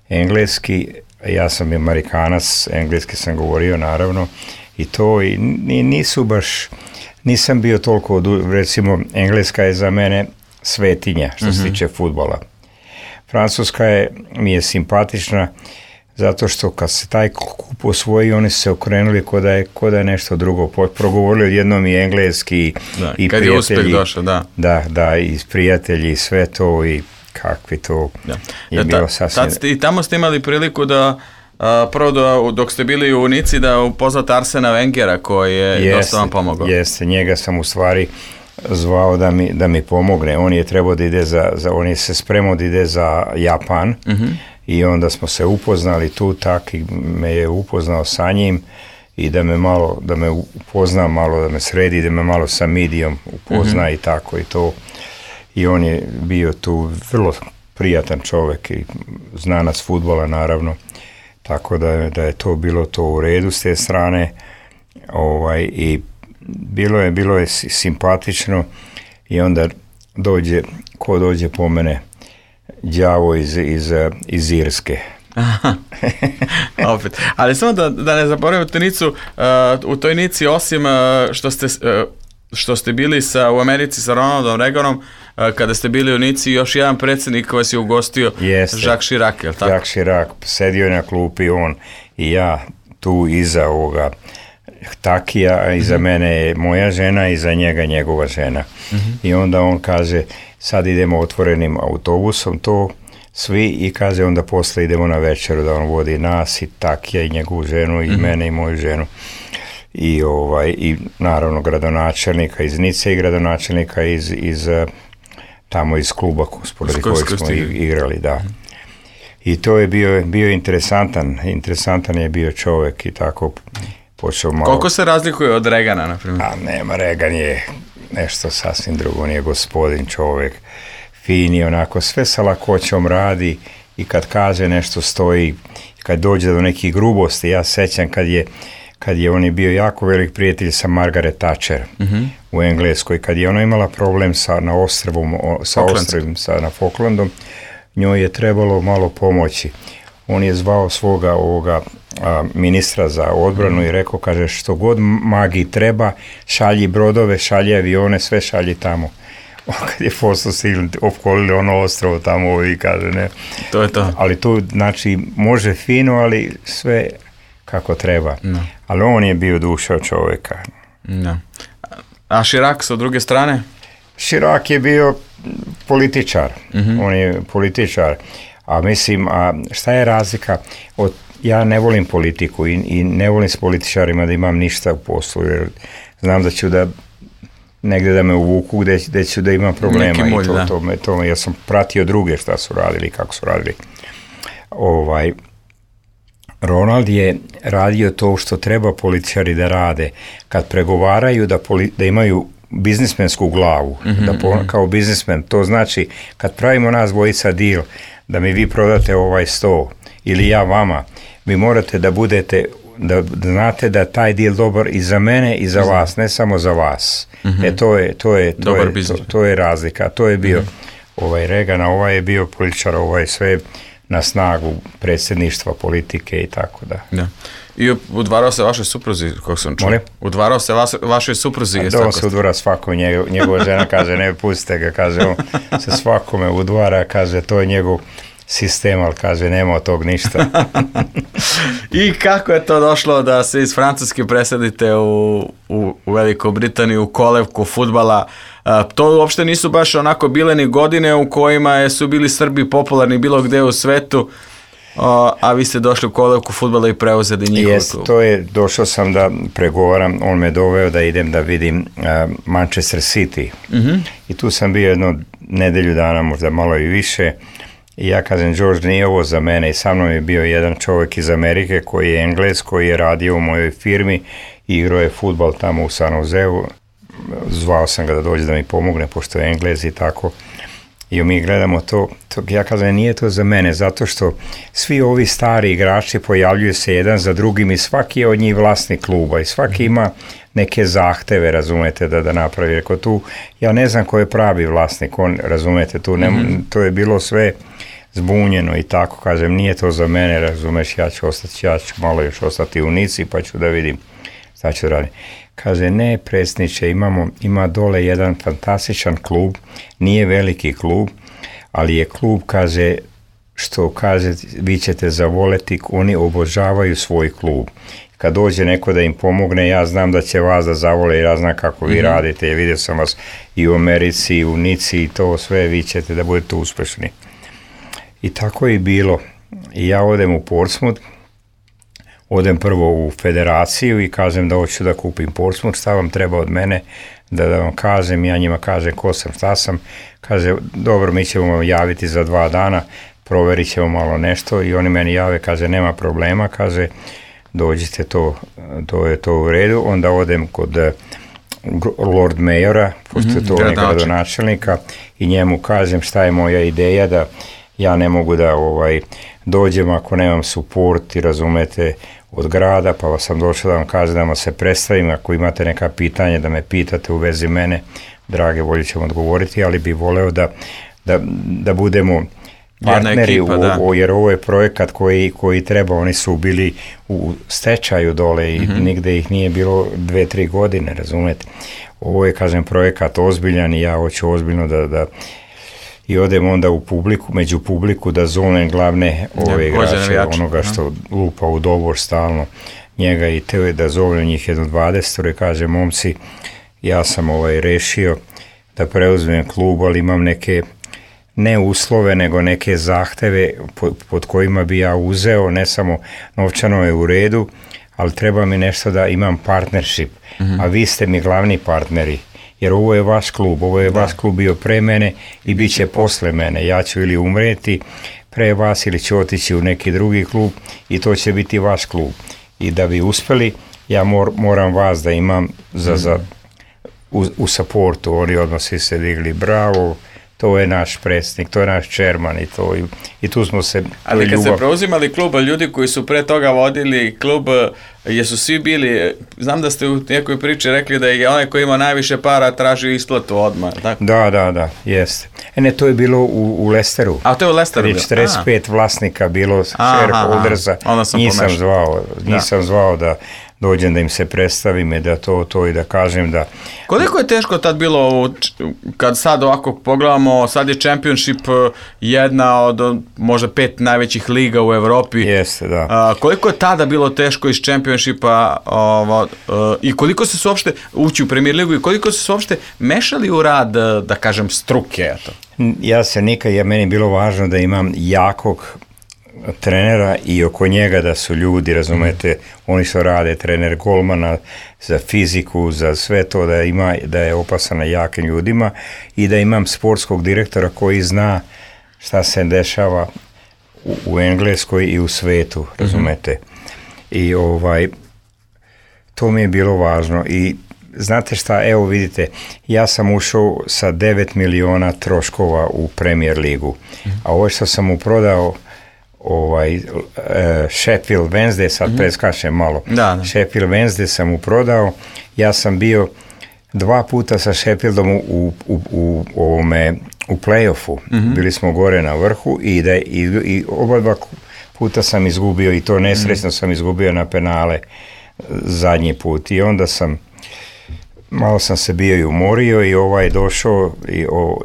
engleski. Ja sam Amerikanac, engleski sam govorio naravno i to i nisu baš, nisam bio toliko, recimo engleska je za mene svetinja što se tiče fudbala. Francuska mi je simpatična zato što kad se taj kup osvoji, oni su se okrenuli ko da je nešto drugo. Progovorili odjednom i engleski i kad prijatelji. Je uspeh došao, da. Da, i prijatelji i sve to i kakvi to je bilo sasvim... I tamo ste imali priliku da prvo dok ste bili u Nici da upoznate Arsena Wengera koji je dosta vam pomogao. Jeste, njega sam u stvari zvao da mi pomogne. On je trebao da ide on je se spremao da ide za Japan i onda smo se upoznali tu, tak i me je upoznao sa njim i da me upozna malo, da me sredi, da me malo sa Midijom upozna i tako i to. I on je bio tu vrlo prijatan čovjek i znanac fudbala naravno, tako da je to bilo to u redu s te strane, i bilo je simpatično i onda dođe po mene đavo iz Irske. Opet. Ali samo da ne zaboravim Tenicu, u toj Nici osim što ste bili u Americi sa Ronaldom Reaganom, kada ste bili u Nici, još jedan predsjednik koji vas je ugostio, Jacques Chirac, je li tako? Jacques Chirac, sedio je na klupi on i ja tu iza ovoga Takija, a iza mene je moja žena i iza njega njegova žena. I onda on kaže, sad idemo otvorenim autobusom to svi i kaže onda posle idemo na večeru da on vodi nas i Takija i njegovu ženu i mene i moju ženu. I naravno gradonačelnika iz Nice i gradonačelnika iz tamo iz kluba sporedi kojeg smo igrali, da. I to je bio interesantan je bio čovjek i tako počeo malo. Koliko se razlikuje od Reagana, na primjer? Nema, Reagan je nešto sasvim drugo, on je gospodin čovjek, fini, onako sve sa lakoćom radi i kad kaže nešto stoji, kad dođe do nekih grubosti, ja sećam kad je on je bio jako velik prijatelj sa Margaret Thatcher u Engleskoj, kad je ona imala problem na Falklandom, njoj je trebalo malo pomoći. On je zvao svoga ministra za odbranu i rekao, kaže, što god magiji treba, šalji brodove, šalji avione, sve šalji tamo. Kad je Fossil opkolili ono ostrovo tamo i kaže, ne. To je to. Ali tu, znači, može fino, ali sve kako treba. No. Ali on je bio duša čovjeka. No. A Chirac sa druge strane? Chirac je bio političar. On je političar. A mislim, šta je razlika? Ja ne volim politiku i ne volim s političarima da imam ništa u poslu, jer znam da ću negdje da me uvuku gdje ću da imam problema. Ja sam pratio druge šta su radili, kako su radili. Ronald je radio to što treba političari da rade. Kad pregovaraju da imaju biznismensku glavu, kao biznismen, to znači kad pravimo nas dvojica deal, da mi vi prodate ovaj 100 ili ja vama, vi morate da budete, da znate da taj deal dobar i za mene i za vas, ne samo za vas. To je razlika. To je bio Reagan, ovaj je bio političar, ovaj sve na snagu predsjedništva, politike i tako da. Da. I udvarao se vašoj supruzi, kako sam čuo? Molim? Udvarao se vašoj supruzi? On se udvara svako, njegova žena kaže, ne pustite ga, kaže, on se svakome udvara, kaže, to je njegov sistem, ali kaže, nema od tog ništa. I kako je to došlo da se iz Francuske presadite u Veliku Britaniju, u kolevku fudbala? To uopšte nisu baš onako bile ni godine u kojima su bili Srbi popularni bilo gde u svetu, a vi ste došli u kolevku fudbala i preuzeli njihov klub. To je, došao sam da pregovaram, on me doveo da idem da vidim Manchester City. I tu sam bio jedno nedelju dana, možda malo i više. I ja kažem, George, nije ovo za mene. I sa mnom je bio jedan čovjek iz Amerike koji je Englez, koji je radio u mojoj firmi i igrao je fudbal tamo u San Joseu. Zvao sam ga da dođe da mi pomogne, pošto je Englez i tako. I mi gledamo to. Ja kažem, nije to za mene, zato što svi ovi stari igrači pojavljuju se jedan za drugim i svaki je od njih vlasnik kluba i svaki ima neke zahteve, razumete, da napravi. Rekao tu, ja ne znam ko je pravi vlasnik, on, razumete, tu to je bilo sve zbunjeno i tako, kažem, nije to za mene, razumeš, ja ću malo još ostati u Nici pa ću da vidim šta ću raditi. Kaže, ne, predsjedniče, ima dole jedan fantastičan klub, nije veliki klub, ali je klub, kaže, što kaže, vi ćete zavoleti, oni obožavaju svoj klub. Kad dođe neko da im pomogne, ja znam da će vas da zavole, ja znam kako vi radite, ja vidio sam vas i u Americi, i u Nici i to sve, vi ćete da budete uspešni. I tako je bilo. I ja odem u Portsmouth, odem prvo u federaciju i kažem da hoću da kupim Portsmouth, šta vam treba od mene, da vam kažem, ja njima kažem ko sam, šta sam, kaže, dobro, mi ćemo vam javiti za 2 dana, proverit ćemo malo nešto i oni meni jave, kaže nema problema, kaže dođite, to je to u redu, onda odem kod Lord Mayora, pošto je to gradonačelnika i njemu kažem šta je moja ideja, da ja ne mogu da dođem ako nemam suport i razumete od grada, pa sam došao da vam kažem da vam se predstavim, ako imate neka pitanja da me pitate u vezi mene, drage volje ćemo odgovoriti, ali bi voleo da budemo partneri, jer ovo je projekat koji treba, oni su bili u stečaju dole i nigde ih nije bilo 2-3 godine, razumete. Ovo je, kažem, projekat ozbiljan i ja hoću ozbiljno da i odem onda među publiku da zovem glavne igrače, onoga što lupa u dobor stalno, njega i te, da zovem njih 20 i kažem, momci, ja sam rešio da preuzmem klub, ali imam neke ne uslove, nego neke zahteve pod kojima bi ja uzeo, ne samo novčano je u redu, ali treba mi nešto da imam partnership, a vi ste mi glavni partneri, jer ovo je vaš klub, vaš klub bio pre mene i bit će posle mene, ja ću ili umreti pre vas ili ću otići u neki drugi klub i to će biti vaš klub. I da bi uspeli, ja moram vas da imam u supportu, oni odmah svi se digli, bravo, to je naš predsjednik, to je naš čerman i tu smo se... Ali kad ste preuzimali klub, ljudi koji su pre toga vodili klub, jesu svi bili, znam da ste u nekoj priči rekli da je onaj koji ima najviše para tražio isplatu odmah, tako? Da, jeste. Ne, to je bilo u Leicesteru. A to je u Leicesteru bilo? 45 vlasnika bilo shareholdersa, nisam zvao da dođem da im se predstavim i da to i da kažem da... Koliko je teško tad bilo, kad sad ovako pogledamo, sad je Championship jedna od možda 5 najvećih liga u Evropi. Jeste, da. Koliko je tada bilo teško iz Championshipa i koliko se su uopšte ući u Premier ligu i koliko se su uopšte mešali u rad, da kažem, struke? Meni je bilo važno da imam jakog trenera i oko njega da su ljudi, razumete, oni što rade, trener golmana za fiziku, za sve to, da je opasan na jakim ljudima i da imam sportskog direktora koji zna šta se dešava u Engleskoj i u svetu, razumete. I to mi je bilo važno i znate šta, evo vidite, ja sam ušao sa 9 miliona troškova u Premier ligu, a ovo što sam mu prodao Sheffield Wednesday, sad preskačem malo, Sheffield Wednesday sam mu prodao, ja sam bio 2 puta sa Sheffieldom u play-offu, bili smo gore na vrhu i oba 2 puta sam izgubio i to nesrećno sam izgubio na penale zadnji put i onda malo sam se bio i umorio i došao,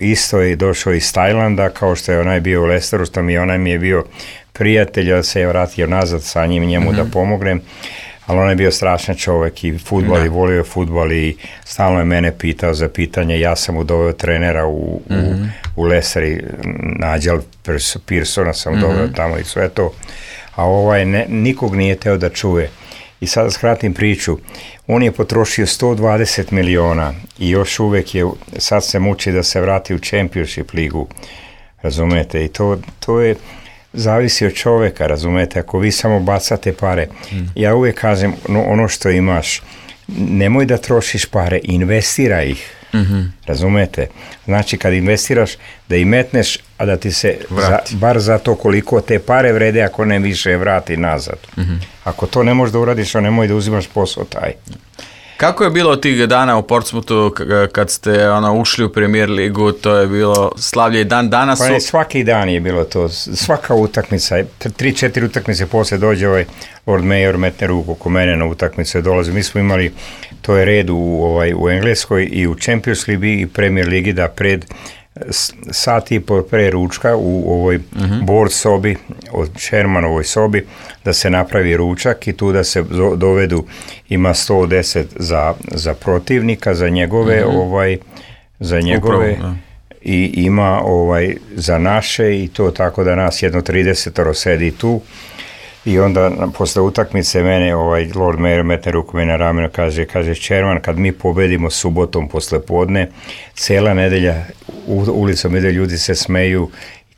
isto je došao iz Tajlanda, kao što je onaj bio u Leicesteru, onaj mi je bio prijatelj, da se je vratio nazad sa njemu da pomognem, ali on je bio strašan čovjek i fudbal i volio je fudbal i stalno je mene pitao za pitanje, ja sam mu doveo trenera u Leicester, Nigel Pearsona sam doveo tamo i sve to, a nikog nije teo da čuje. I sada skratim priču, on je potrošio 120 miliona i još uvek sad se muči da se vrati u Championship ligu, razumete, i to je, zavisi od čoveka, razumete, ako vi samo bacate pare, ja uvek kažem, ono što imaš, nemoj da trošiš pare, investiraj ih, razumete, znači kad investiraš, da i metneš, a da ti se, bar za to koliko te pare vrede, ako ne više vrati nazad. Ako to ne možeš da uradiš, nemoj da uzimaš posao taj. Kako je bilo tih dana u Portsmouthu kad ste ušli u Premier ligu, to je bilo slavlje i dan danas? Pa svaki dan je bilo to, svaka utakmica, 3-4 utakmice posle dođe Lord Mayor, metne ruku oko mene na utakmice, dolaze. Mi smo imali, to je red u Engleskoj i u Champions ligi i Premier ligi da pred sat i po pre ručka u ovoj board sobi, od Shermanovoj sobi, da se napravi ručak i tu da se dovedu, ima 110 za protivnika, za njegove, i ima za naše i to tako da nas jedno 30 sedi tu. I onda posle utakmice mene Lord Mayor metne ruku me na rameno, kaže Červan, kad mi pobedimo subotom posle podne, cela nedelja ulicom ide, ljudi se smeju,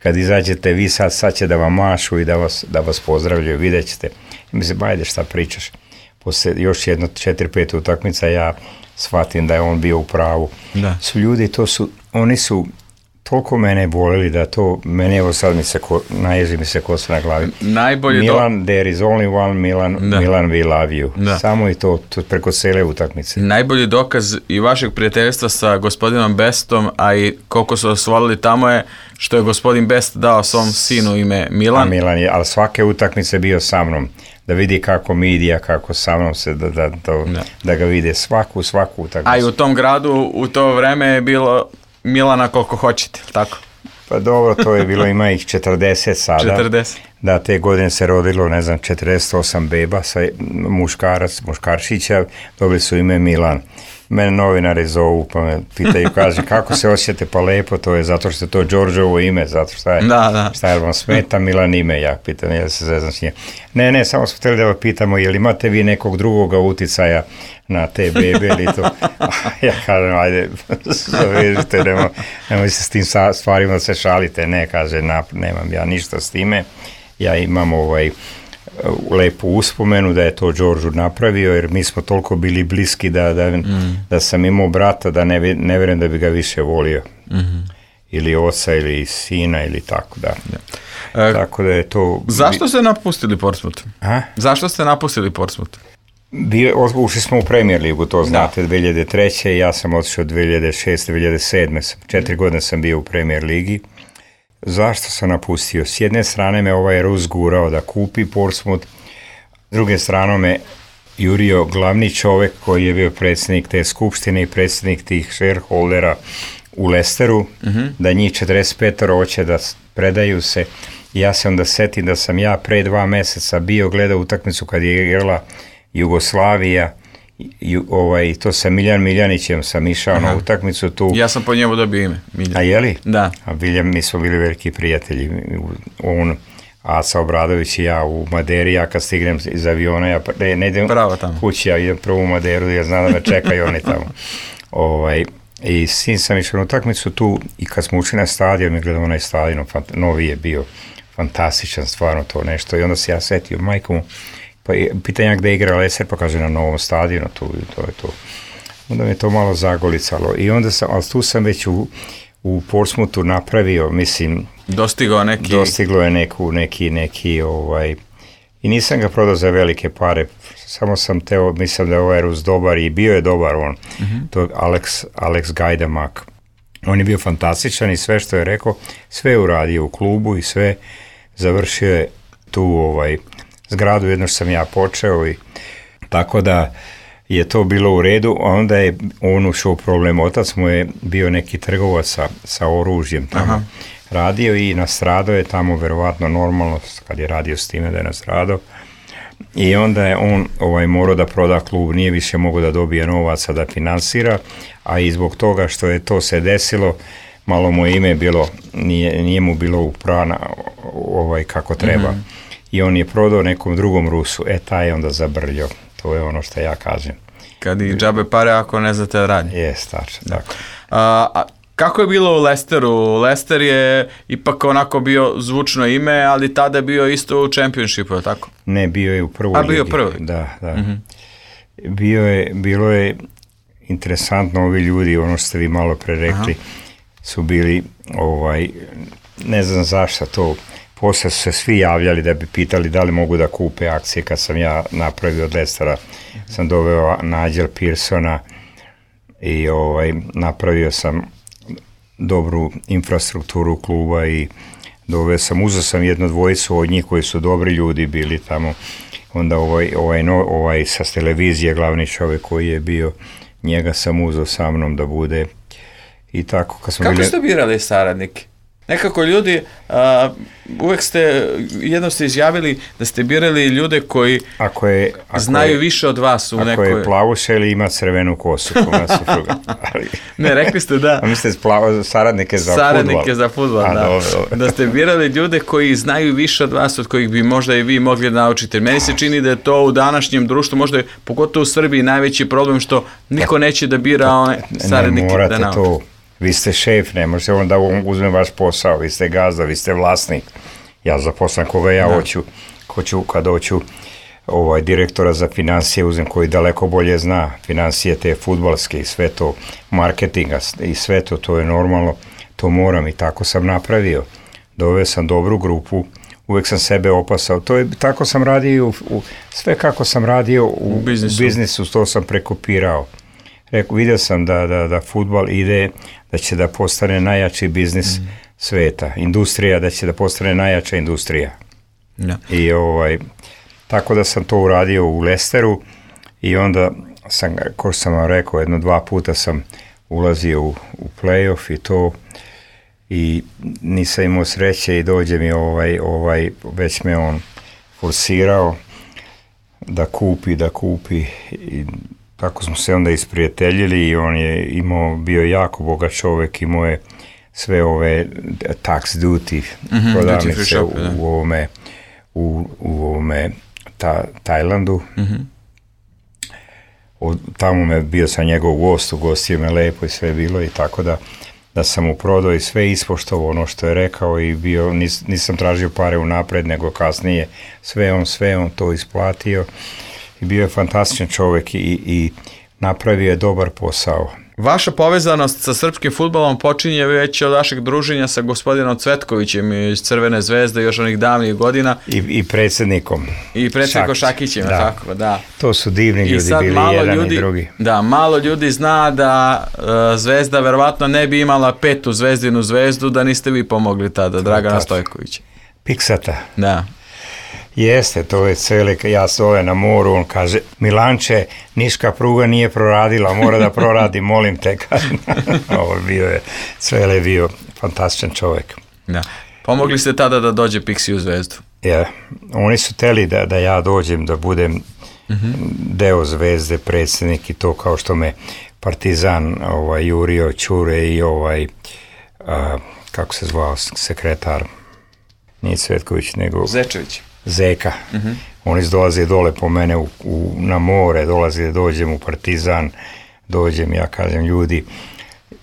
kad izađete vi sad će da vam mašu i da vas pozdravljaju, vidjet ćete. Mislim, ajde šta pričaš. Posle još jedno 4-5 utakmica ja shvatim da je on bio u pravu. Da. Su ljudi, oni su toliko mene volili da to, mene evo sad naježi mi se kosa na glavi. Milan, there is only one Milan, Milan we love you. Da. Samo i to preko cele utakmice. Najbolji dokaz i vašeg prijateljstva sa gospodinom Bestom, a i koliko su vas volili tamo je što je gospodin Best dao svom sinu ime Milan. Milan je, ali svake utakmice bio sa mnom. Da vidi kako midija, kako sa mnom se, da ga vide svaku utakmicu. A i u tom gradu u to vreme je bilo Milana koliko hoćete, tako? Pa dobro, to je bilo, ima ih 40 sada. 40. Da, te godine se rodilo, 48 beba, muškarčića, dobili su ime Milan. Mene novinari zovu, pa me pitaju, kaže, kako se osjećate, pa lepo, to je zato što je to Đorđevo ime, zato šta je vam smeta Milan ime, ja pitam, ja se zezam s njim. Ne, samo smo htjeli da vas pitamo, jel imate vi nekog drugoga uticaja na te bebe ili to? Ja kažem, ajde, zavežite, nemoj se s tim stvarima se šalite, ne, kaže, nemam ja ništa s time, ja imam lepu uspomenu da je to Đorđu napravio, jer mi smo toliko bili bliski da sam imao brata da ne vjerujem da bi ga više volio. Ili oca, ili sina, ili tako, da. Tako da je to... Zašto ste napustili Portsmouth? Zašto ste napustili Portsmouth? Ušli smo u Premier ligu, to znate, 2003. Ja sam otišao 2006. 2007. 4 godine sam bio u Premier ligi. Zašto sam napustio? S jedne strane me ovaj Rus gurao da kupi Portsmouth, s druge strane me jurio glavni čovjek koji je bio predsjednik te skupštine i predsjednik tih shareholdera u Leicesteru, da njih 45 hoće da predaju se. Ja se onda setim da sam ja pre 2 mjeseca bio gledao utakmicu kad je igrala Jugoslavija, to sa Miljan Miljanićem sam išao na utakmicu tu. Ja sam po njemu dobio ime. Miljan. A jeli? Da. A mi smo bili veliki prijatelji. On, Aca Obradović i ja u Maderi, ja kad stignem iz aviona, ja ne idem kući, ja idem prvo u Maderu, ja znam da me čekaju oni tamo. I sin sam išao na utakmicu tu i kad smo ušli na stadion, mi gledamo onaj stadion, novi je bio fantastičan, stvarno to nešto. I onda se ja setio, majko mu, pa pitan ja gde igra Leicester, pa kaže na novom stadionu, to je to. Onda me to malo zagolicalo i onda ali tu sam već u Portsmouthu napravio, mislim... Dostiglo je neki i nisam ga prodao za velike pare, samo sam mislim da je ovaj Rus dobar i bio je dobar on, to je Alex Gajdamak. On je bio fantastičan i sve što je rekao, sve je uradio u klubu i sve završio je tu zgradu, jedno što sam ja počeo i tako da je to bilo u redu, a onda je on ušao u problem. Otac mu je bio neki trgovac sa oružjem tamo radio i nastradao je tamo, verovatno normalno, kad je radio s time da je nastradao. I onda je on morao da proda klub, nije više mogao da dobije novaca da finansira, a i zbog toga što je to se desilo, malo mu ime bilo, nije mu bilo uprana kako treba. I on je prodao nekom drugom Rusu, taj je onda zabrljao. To je ono što ja kažem. Kad i džabe pare ako ne znate da radi. Jes, tačno, tako. Kako je bilo u Leicesteru? Leicester je ipak onako bio zvučno ime, ali tada je bio isto u Championshipu, tako? Ne, bio je u prvoj ligi. Bio prvi? Da. Bilo je interesantno, ovi ljudi, ono što ste vi malo pre rekli, su bili, ne znam zašto to, posle su se svi javljali da bi pitali da li mogu da kupe akcije. Kad sam ja napravio od Leicestera, sam doveo Nigel Pearsona i napravio sam dobru infrastrukturu kluba i uzeo sam jednu dvojicu od njih koji su dobri ljudi bili tamo. Onda sa televizije, glavni čovjek koji je bio, njega sam uzeo sa mnom da bude i tako. Kako ste birali saradnike? Nekako ljudi, uvek jedno ste izjavili da ste birali ljude koji znaju više od vas. Ako je plavuša ili ima crvenu kosu. Ne, rekli ste da. A mislite saradnike za fudbal? Saradnike za fudbal, da. Da ste birali ljude koji znaju više od vas, od kojih bi možda i vi mogli da naučite. Meni se čini da je to u današnjem društvu, možda je pogotovo u Srbiji najveći problem što niko neće da bira one saradnike da nauči. Vi ste šef, ne možete onda uzme vaš posao, vi ste gazda, vi ste vlasnik. Ja zaposlam koga ja hoću kad hoću direktora za financije uzem koji daleko bolje zna financije te fudbalske i sve to, marketinga i sve to, to je normalno, to moram i tako sam napravio. Doveo sam dobru grupu, uvek sam sebe opasao, tako sam radio, sve kako sam radio u biznisu, to sam prekopirao. Vidio sam da fudbal ide, da će da postane najjači biznis sveta, industrija, da će da postane najjača industrija. Ja. I tako da sam to uradio u Leicesteru i onda sam, kao sam vam rekao, 1-2 puta sam ulazio u play-off i to i nisam imao sreće i dođe mi već me on forsirao da kupi i tako smo se onda isprijateljili i on je bio jako bogat čovjek, imao je sve ove tax duty prodavnice u ovome Tajlandu. Tamo bio sam njegov gost, ugostio me lepo i sve bilo i tako da sam mu prodao i sve ispoštovao ono što je rekao i nisam tražio pare unapred nego kasnije sve on to isplatio i bio je fantastičan čovjek i napravio je dobar posao. Vaša povezanost sa srpskim fudbalom počinje već od vašeg druženja sa gospodinom Cvetkovićem iz Crvene zvezde još onih davnih godina. I predsjednikom. I predsjednikom Šakićem, tako, da. To su divni ljudi bili, jedan i drugi. Da, malo ljudi zna da Zvezda verovatno ne bi imala 5. zvezdinu zvezdu da niste vi pomogli tada, Dragana Stojkovića. Piksata. Da. Jeste, to je ja stove na moru, on kaže, Milanče, niška pruga nije proradila, mora da proradi, molim te. Ovo je bio fantastičan čovjek. Da. Pomogli ste tada da dođe Pixi u Zvezdu? Ja, oni su teli da ja dođem, da budem deo Zvezde, predsjednik i to kao što me Partizan jurio Ćure i kako se zvao sekretar, nije Cvetković, nego Zečević. Zeka. Oni dolaze dole po mene na more, dođem u Partizan, ja kažem ljudi,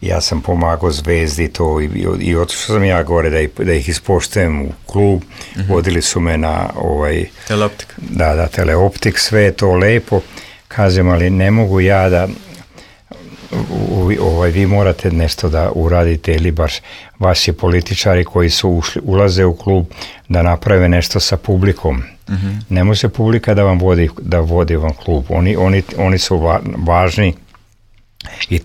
ja sam pomagao Zvezdi to i otišao sam ja gore da ih ispoštujem u klub, vodili su me na Teleoptik. Da, Teleoptik, sve je to lepo, kažem, ali ne mogu ja da vi morate nešto da uradite ili baš vaši političari koji ulaze u klub da naprave nešto sa publikom. Ne može publika da vodi vam klub. Oni su važni i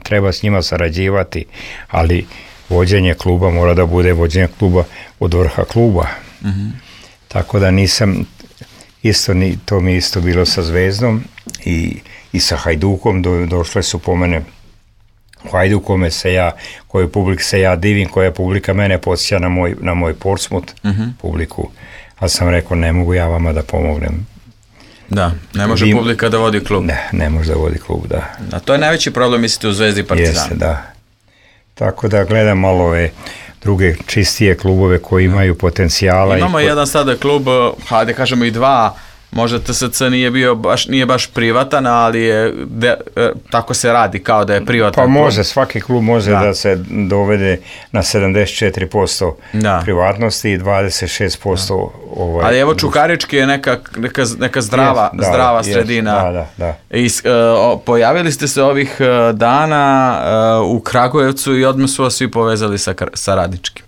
treba s njima sarađivati, ali vođenje kluba mora da bude vođenje kluba od vrha kluba. Tako da nisam to mi isto bilo sa Zvezdom i sa Hajdukom, došle su po mene u Hajduku kojoj publiki se ja divim, koja publika mene podsjeća na moj Portsmouth publiku, ali sam rekao ne mogu ja vama da pomognem. Da, ne može publika da vodi klub. Ne može da vodi klub, da. A to je najveći problem, mislite, u Zvezdi i Partizanu. Jeste, da. Tako da gledam malo ove druge čistije klubove koji imaju potencijala. Imamo jedan sada klub, hajde kažemo i dva, možda TSC nije baš privatan, ali tako se radi kao da je privatan. Pa može, svaki klub može da se dovede na 74% privatnosti i 26%. Ali evo Čukarički je neka zdrava sredina. Da. Pojavili ste se ovih dana u Kragujevcu i odmah su vas svi povezali sa Radničkim.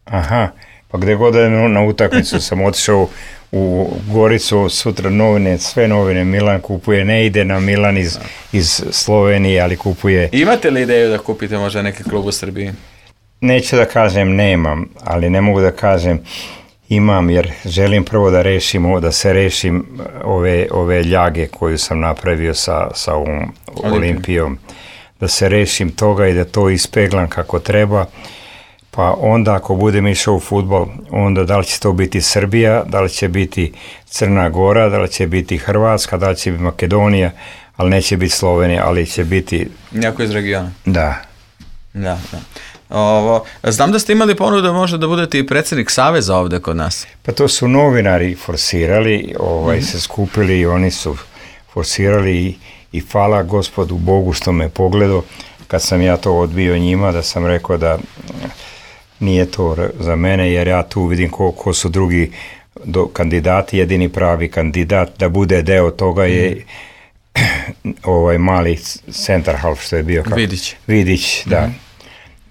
Aha, pa gde god je na utakmicu sam otišao u Goricu, sutra sve novine, Milan kupuje, ne ide na Milan iz Slovenije, ali kupuje. Imate li ideju da kupite možda neki klub u Srbiji? Neću da kažem nemam, ali ne mogu da kažem imam, jer želim prvo da se rešim ove ljage koju sam napravio sa ovom Olimpijom, da se rešim toga i da to ispeglam kako treba. Pa onda ako budem išao u fudbal, onda da li će to biti Srbija, da li će biti Crna Gora, da li će biti Hrvatska, da li će biti Makedonija, ali neće biti Slovenija, ali će biti... Neko iz regiona. Da. Znam da ste imali ponudu možda da budete i predsjednik Saveza ovde kod nas. Pa to su novinari forsirali, se skupili i oni su forsirali i hvala Gospodu Bogu što me pogledao. kad sam ja to odbio njima, da sam rekao da nije to za mene, jer ja tu vidim ko su drugi kandidati. Jedini pravi kandidat da bude deo toga je ovaj mali center half što je bio. Vidić, da.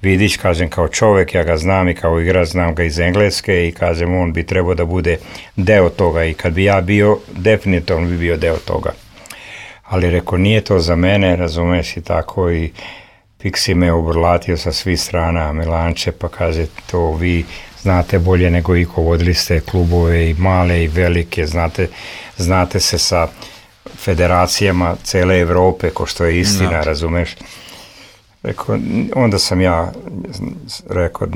Vidić, kažem, kao čovjek, ja ga znam i kao igrač, znam ga iz Engleske i kažem, on bi trebao da bude deo toga i kad bi ja bio, definitivno bi bio deo toga. Ali rekao, nije to za mene, razumeš, i tako, i Pixi me obrlatio sa svih strana, Milanče, pa kaže, to vi znate bolje nego iko, vodili ste klubove i male i velike, znate se sa federacijama cele Evrope, ko što je istina, razumeš. Rekao, onda sam ja rekao,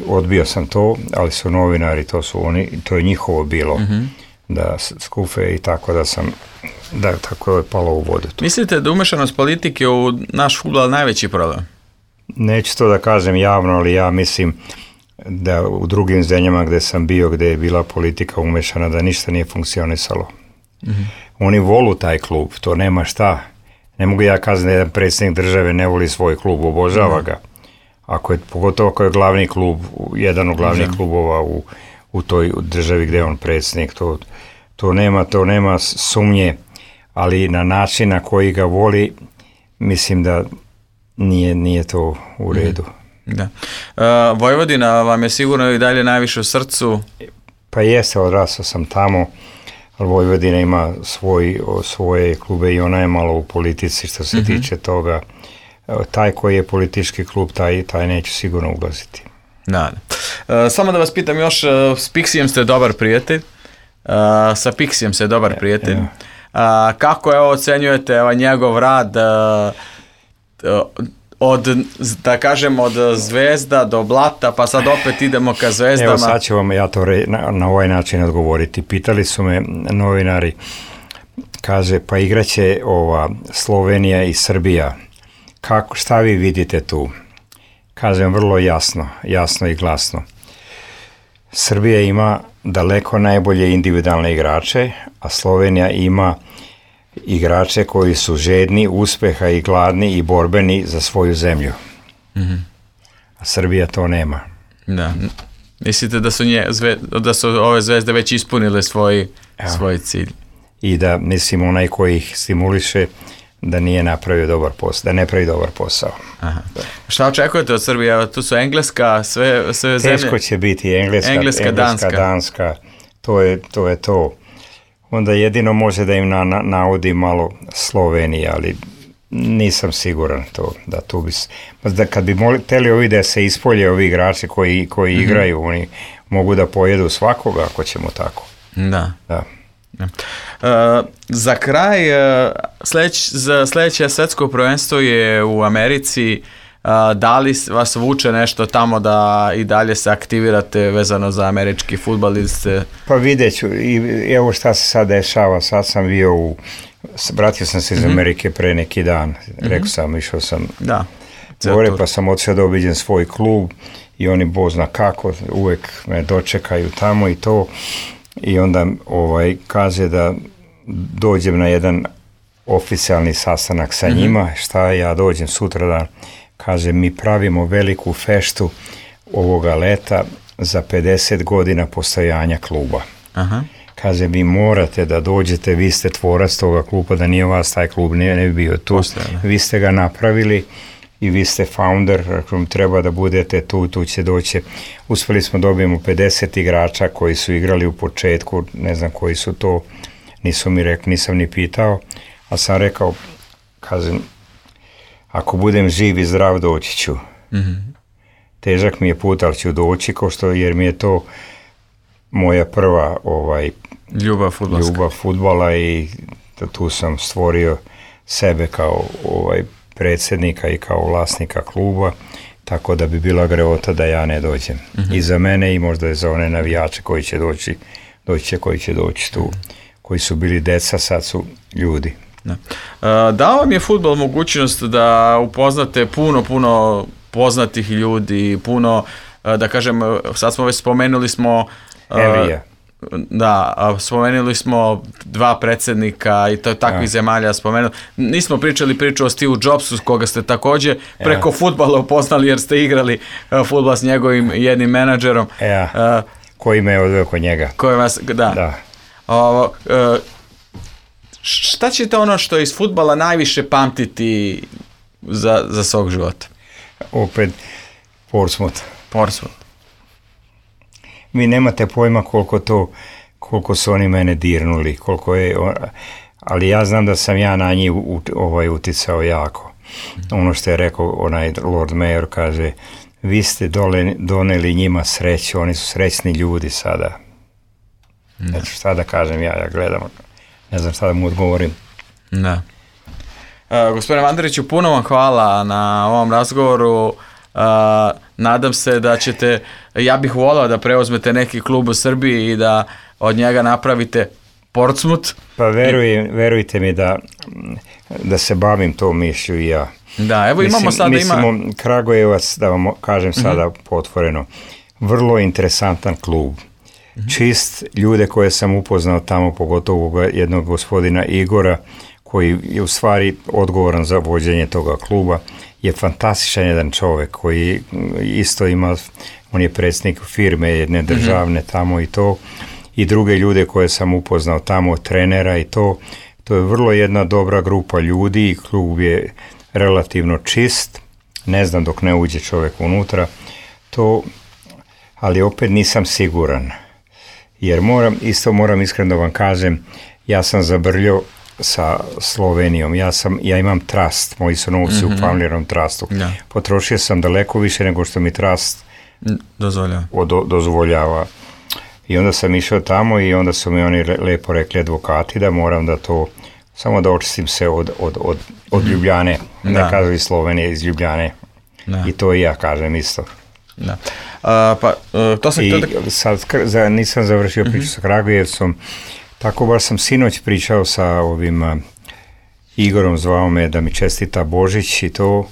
odbio sam to, ali su novinari, to je njihovo bilo, da skufe i tako da tako je palo u vodu. Mislite da umešanost politike u naš fudbal najveći problem? Neću to da kažem javno, ali ja mislim da u drugim zemljama gde sam bio, gde je bila politika umešana, da ništa nije funkcionisalo. Oni volu taj klub, to nema šta. Ne mogu ja kazati da jedan predsjednik države ne voli svoj klub, obožava ga. Pogotovo ako je glavni klub, jedan od glavnih klubova u toj državi gde je on predsjednik, to nema sumnje, ali na način na koji ga voli, mislim da nije to u redu. Da. Vojvodina vam je sigurno i dalje najviše u srcu? Pa jeste, odrasao sam tamo, ali Vojvodina ima svoje klube i ona je malo u politici što se tiče toga. Taj koji je politički klub, taj neće sigurno ulaziti. Da. Samo da vas pitam još, s Pixijem ste dobar prijatelj. Sa Pixijem ste dobar prijatelj. Kako ocenjujete njegov rad od Zvezda do Blata, pa sad opet idemo ka Zvezdama? Evo sad ću vam ja to na ovaj način odgovoriti. Pitali su me novinari, kaže, pa igraće Slovenija i Srbija. Šta vi vidite tu? Kažem vrlo jasno i glasno. Srbija ima daleko najbolje individualne igrače, a Slovenija ima igrače koji su žedni uspeha i gladni i borbeni za svoju zemlju. A Srbija to nema. Da. Mislite da su ove zvezde već ispunile svoj cilj? I da, mislim, onaj koji ih stimuliše da nije napravio dobar posao, da ne pravi dobar posao. Aha. Šta očekujete od Srbije? Tu su Engleska, sve zemlje? Teško će biti Engleska, Danska. To je to. Onda jedino može da im naudi malo Slovenija, ali nisam siguran da tu bi... Kad bi hteli ovi da se ispolje ovi igrači koji igraju, oni mogu da pojedu svakoga ako ćemo tako. Da. Za kraj, sljedeće svetsko prvenstvo je u Americi. Da li vas vuče nešto tamo da i dalje se aktivirate vezano za američki fudbal ili ste... Pa vidjet ću, evo šta se sad dešava, sad sam bio vratio sam se iz Amerike pre neki dan, rekao sam, išao sam gore, pa sam odšao da obiđem svoj klub i oni Bog zna kako, uvek me dočekaju tamo i to, i onda kaže da dođem na jedan oficijalni sastanak sa njima, šta ja dođem sutradan. Kaže, mi pravimo veliku feštu ovoga leta za 50 godina postojanja kluba. Kaže, vi morate da dođete, vi ste tvorac toga kluba, da nije vas taj klub ne bi bio tu. Vi ste ga napravili i vi ste founder, treba da budete tu će doći. Uspeli smo dobijemo 50 igrača koji su igrali u početku, ne znam koji su to, nisu mi rekli, nisam ni pitao, a sam rekao, kažem, ako budem živ i zdrav, doći ću. Težak mi je put, ali ću doći, jer mi je to moja prva ljubav fudbala i tu sam stvorio sebe kao predsjednika i kao vlasnika kluba, tako da bi bila grehota da ja ne dođem. I za mene i možda i za one navijače koji će doći tu, koji su bili deca, sad su ljudi. Dao vam je fudbal mogućnost da upoznate puno poznatih ljudi, puno, da kažem, sad smo već spomenuli smo Da, spomenuli smo 2 predsjednika i to takvih zemalja spomenuli. Nismo pričali priču o Steve Jobsu, koga ste također preko fudbala upoznali jer ste igrali fudbal s njegovim jednim menadžerom. Koji me je odveo kod njega. Koji vas, da. Šta ćete ono što iz fudbala najviše pamtiti za svog života? Opet Portsmouth. Vi nemate pojma koliko su oni mene dirnuli, ali ja znam da sam ja na njih uticao jako. Ono što je rekao onaj Lord Mayor, kaže, vi ste doneli njima sreću, oni su srećni ljudi sada. Znači šta da kažem ja gledam, ne znam šta da mu odgovorim. Da. Gospodine Vanderiću, puno vam hvala na ovom razgovoru. Nadam se da ćete, ja bih volao da preuzmete neki klub u Srbiji i da od njega napravite Portsmouth. Pa verujte mi da se bavim tom mišlju i ja. Da, evo imamo sada Kragujevac, da vam kažem sada potvoreno, vrlo interesantan klub. Čist, ljude koje sam upoznao tamo, pogotovo jednog gospodina Igora, koji je u stvari odgovoran za vođenje toga kluba, je fantastičan jedan čovjek koji isto ima, on je predsjednik firme jedne državne tamo i to, i druge ljude koje sam upoznao tamo, trenera i to je vrlo jedna dobra grupa ljudi i klub je relativno čist, ne znam dok ne uđe čovjek unutra, ali opet nisam siguran, jer moram iskreno da vam kažem, ja sam zabrljao sa Slovenijom, ja imam trust, moji su novci u Familjerom trustu, potrošio sam daleko više nego što mi trust dozvoljava. I onda sam išao tamo i onda su mi oni lepo rekli advokati da moram da to, samo da očistim se od Ljubljane, ne kažu iz Slovenije, iz Ljubljane. I to i ja kažem isto. Da. Sad nisam završio priču sa Kragujevcom, tako baš sam sinoć pričao sa ovim Igorom, zvao me da mi čestita Božić i to,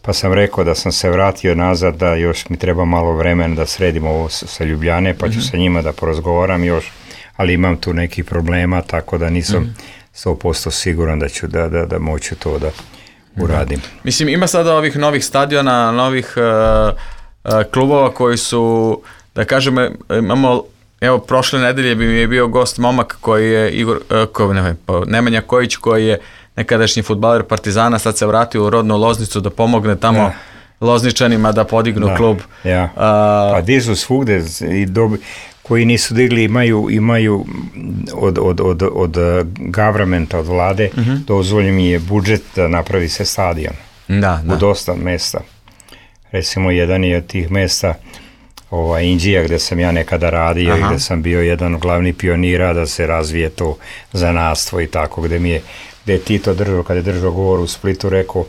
pa sam rekao da sam se vratio nazad, da još mi treba malo vremena da sredim ovo sa Ljubljane, pa ću sa njima da porazgovaram još, ali imam tu nekih problema, tako da nisam 100% siguran da ću da moću to da uradim. Mislim, ima sada ovih novih stadiona, novih klubova koji su, da kažem, imamo, evo, prošle nedelje bi mi je bio gost momak koji je Nemanja Kojić, koji je nekadašnji fudbaler Partizana, sad se vratio u rodnu Loznicu da pomogne tamo Lozničanima da podignu klub. Pa dižu svugde i koji nisu digli imaju od governmenta, od vlade, dozvoljen mi je budžet da napravi se stadion u dosta mesta. Recimo, jedan je od tih mesta Indija, gde sam ja nekada radio i gde sam bio jedan od glavnih pionira da se razvije to zanatstvo i tako, gde je Tito držao, kada je držao govor u Splitu, rekao,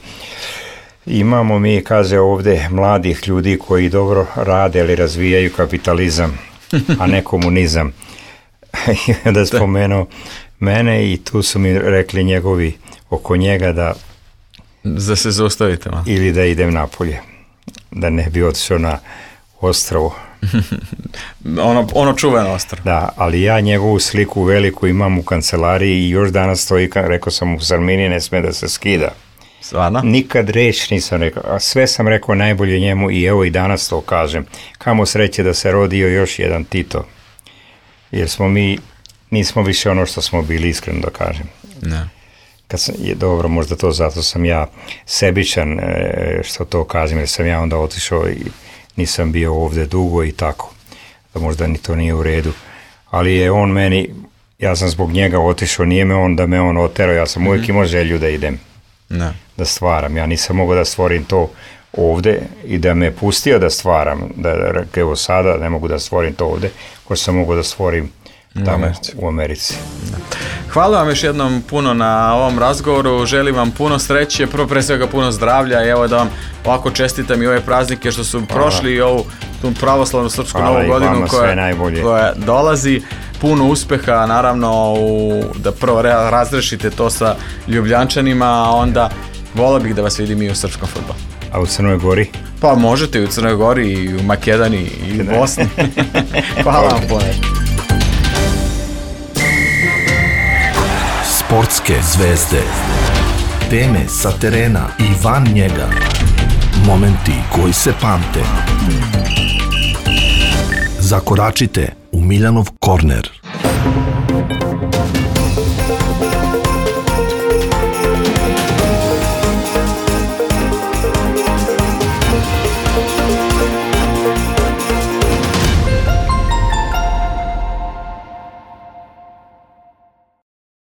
imamo mi, kaže, ovde mladih ljudi koji dobro rade, ali razvijaju kapitalizam, a ne komunizam. I onda spomenuo mene i tu su mi rekli njegovi oko njega da se zaustavite malo. Ili da idem napolje, da ne bi otišao na ostrvo. ono čuveno ostrvo. Da, ali ja njegovu sliku veliku imam u kancelariji i još danas stoji, rekao sam u Salmini, ne sme da se skida. Stvarno? Nikad reč nisam rekao, a sve sam rekao najbolje njemu i evo i danas to kažem. Kamo sreće da se rodio još jedan Tito. Jer nismo više ono što smo bili, iskreno da kažem. Ne. Dobro, možda to zato sam ja sebičan što to kažem, jer sam ja onda otišao i nisam bio ovdje dugo i tako, da možda ni to nije u redu, ali je on meni, ja sam zbog njega otišao, nije me on da me on oterao, ja sam uvijek imao želju da idem, da stvaram, ja nisam mogao da stvorim to ovdje i da me pustio da stvaram, evo sada ne mogu da stvorim to ovdje, ko sam mogao da stvorim tamo u Americi. Hvala vam još jednom puno na ovom razgovoru, želim vam puno sreće, pre svega puno zdravlja i evo da vam ovako čestitam i ove praznike što su prošli i ovu tu pravoslavnu srpsku novu godinu koja dolazi. Puno uspeha, naravno, da prvo razrešite to sa Ljubljančanima, a onda volio bih da vas vidim i u srpskom fudbalu. A u Crnoj Gori? Pa možete i u Crnoj Gori, i u Makedoniji, i u Bosni. Hvala vam puno. Sportske zvezde. Teme sa terena i van njega. Momenti koji se pamte. Zakoračite u Miljanov korner.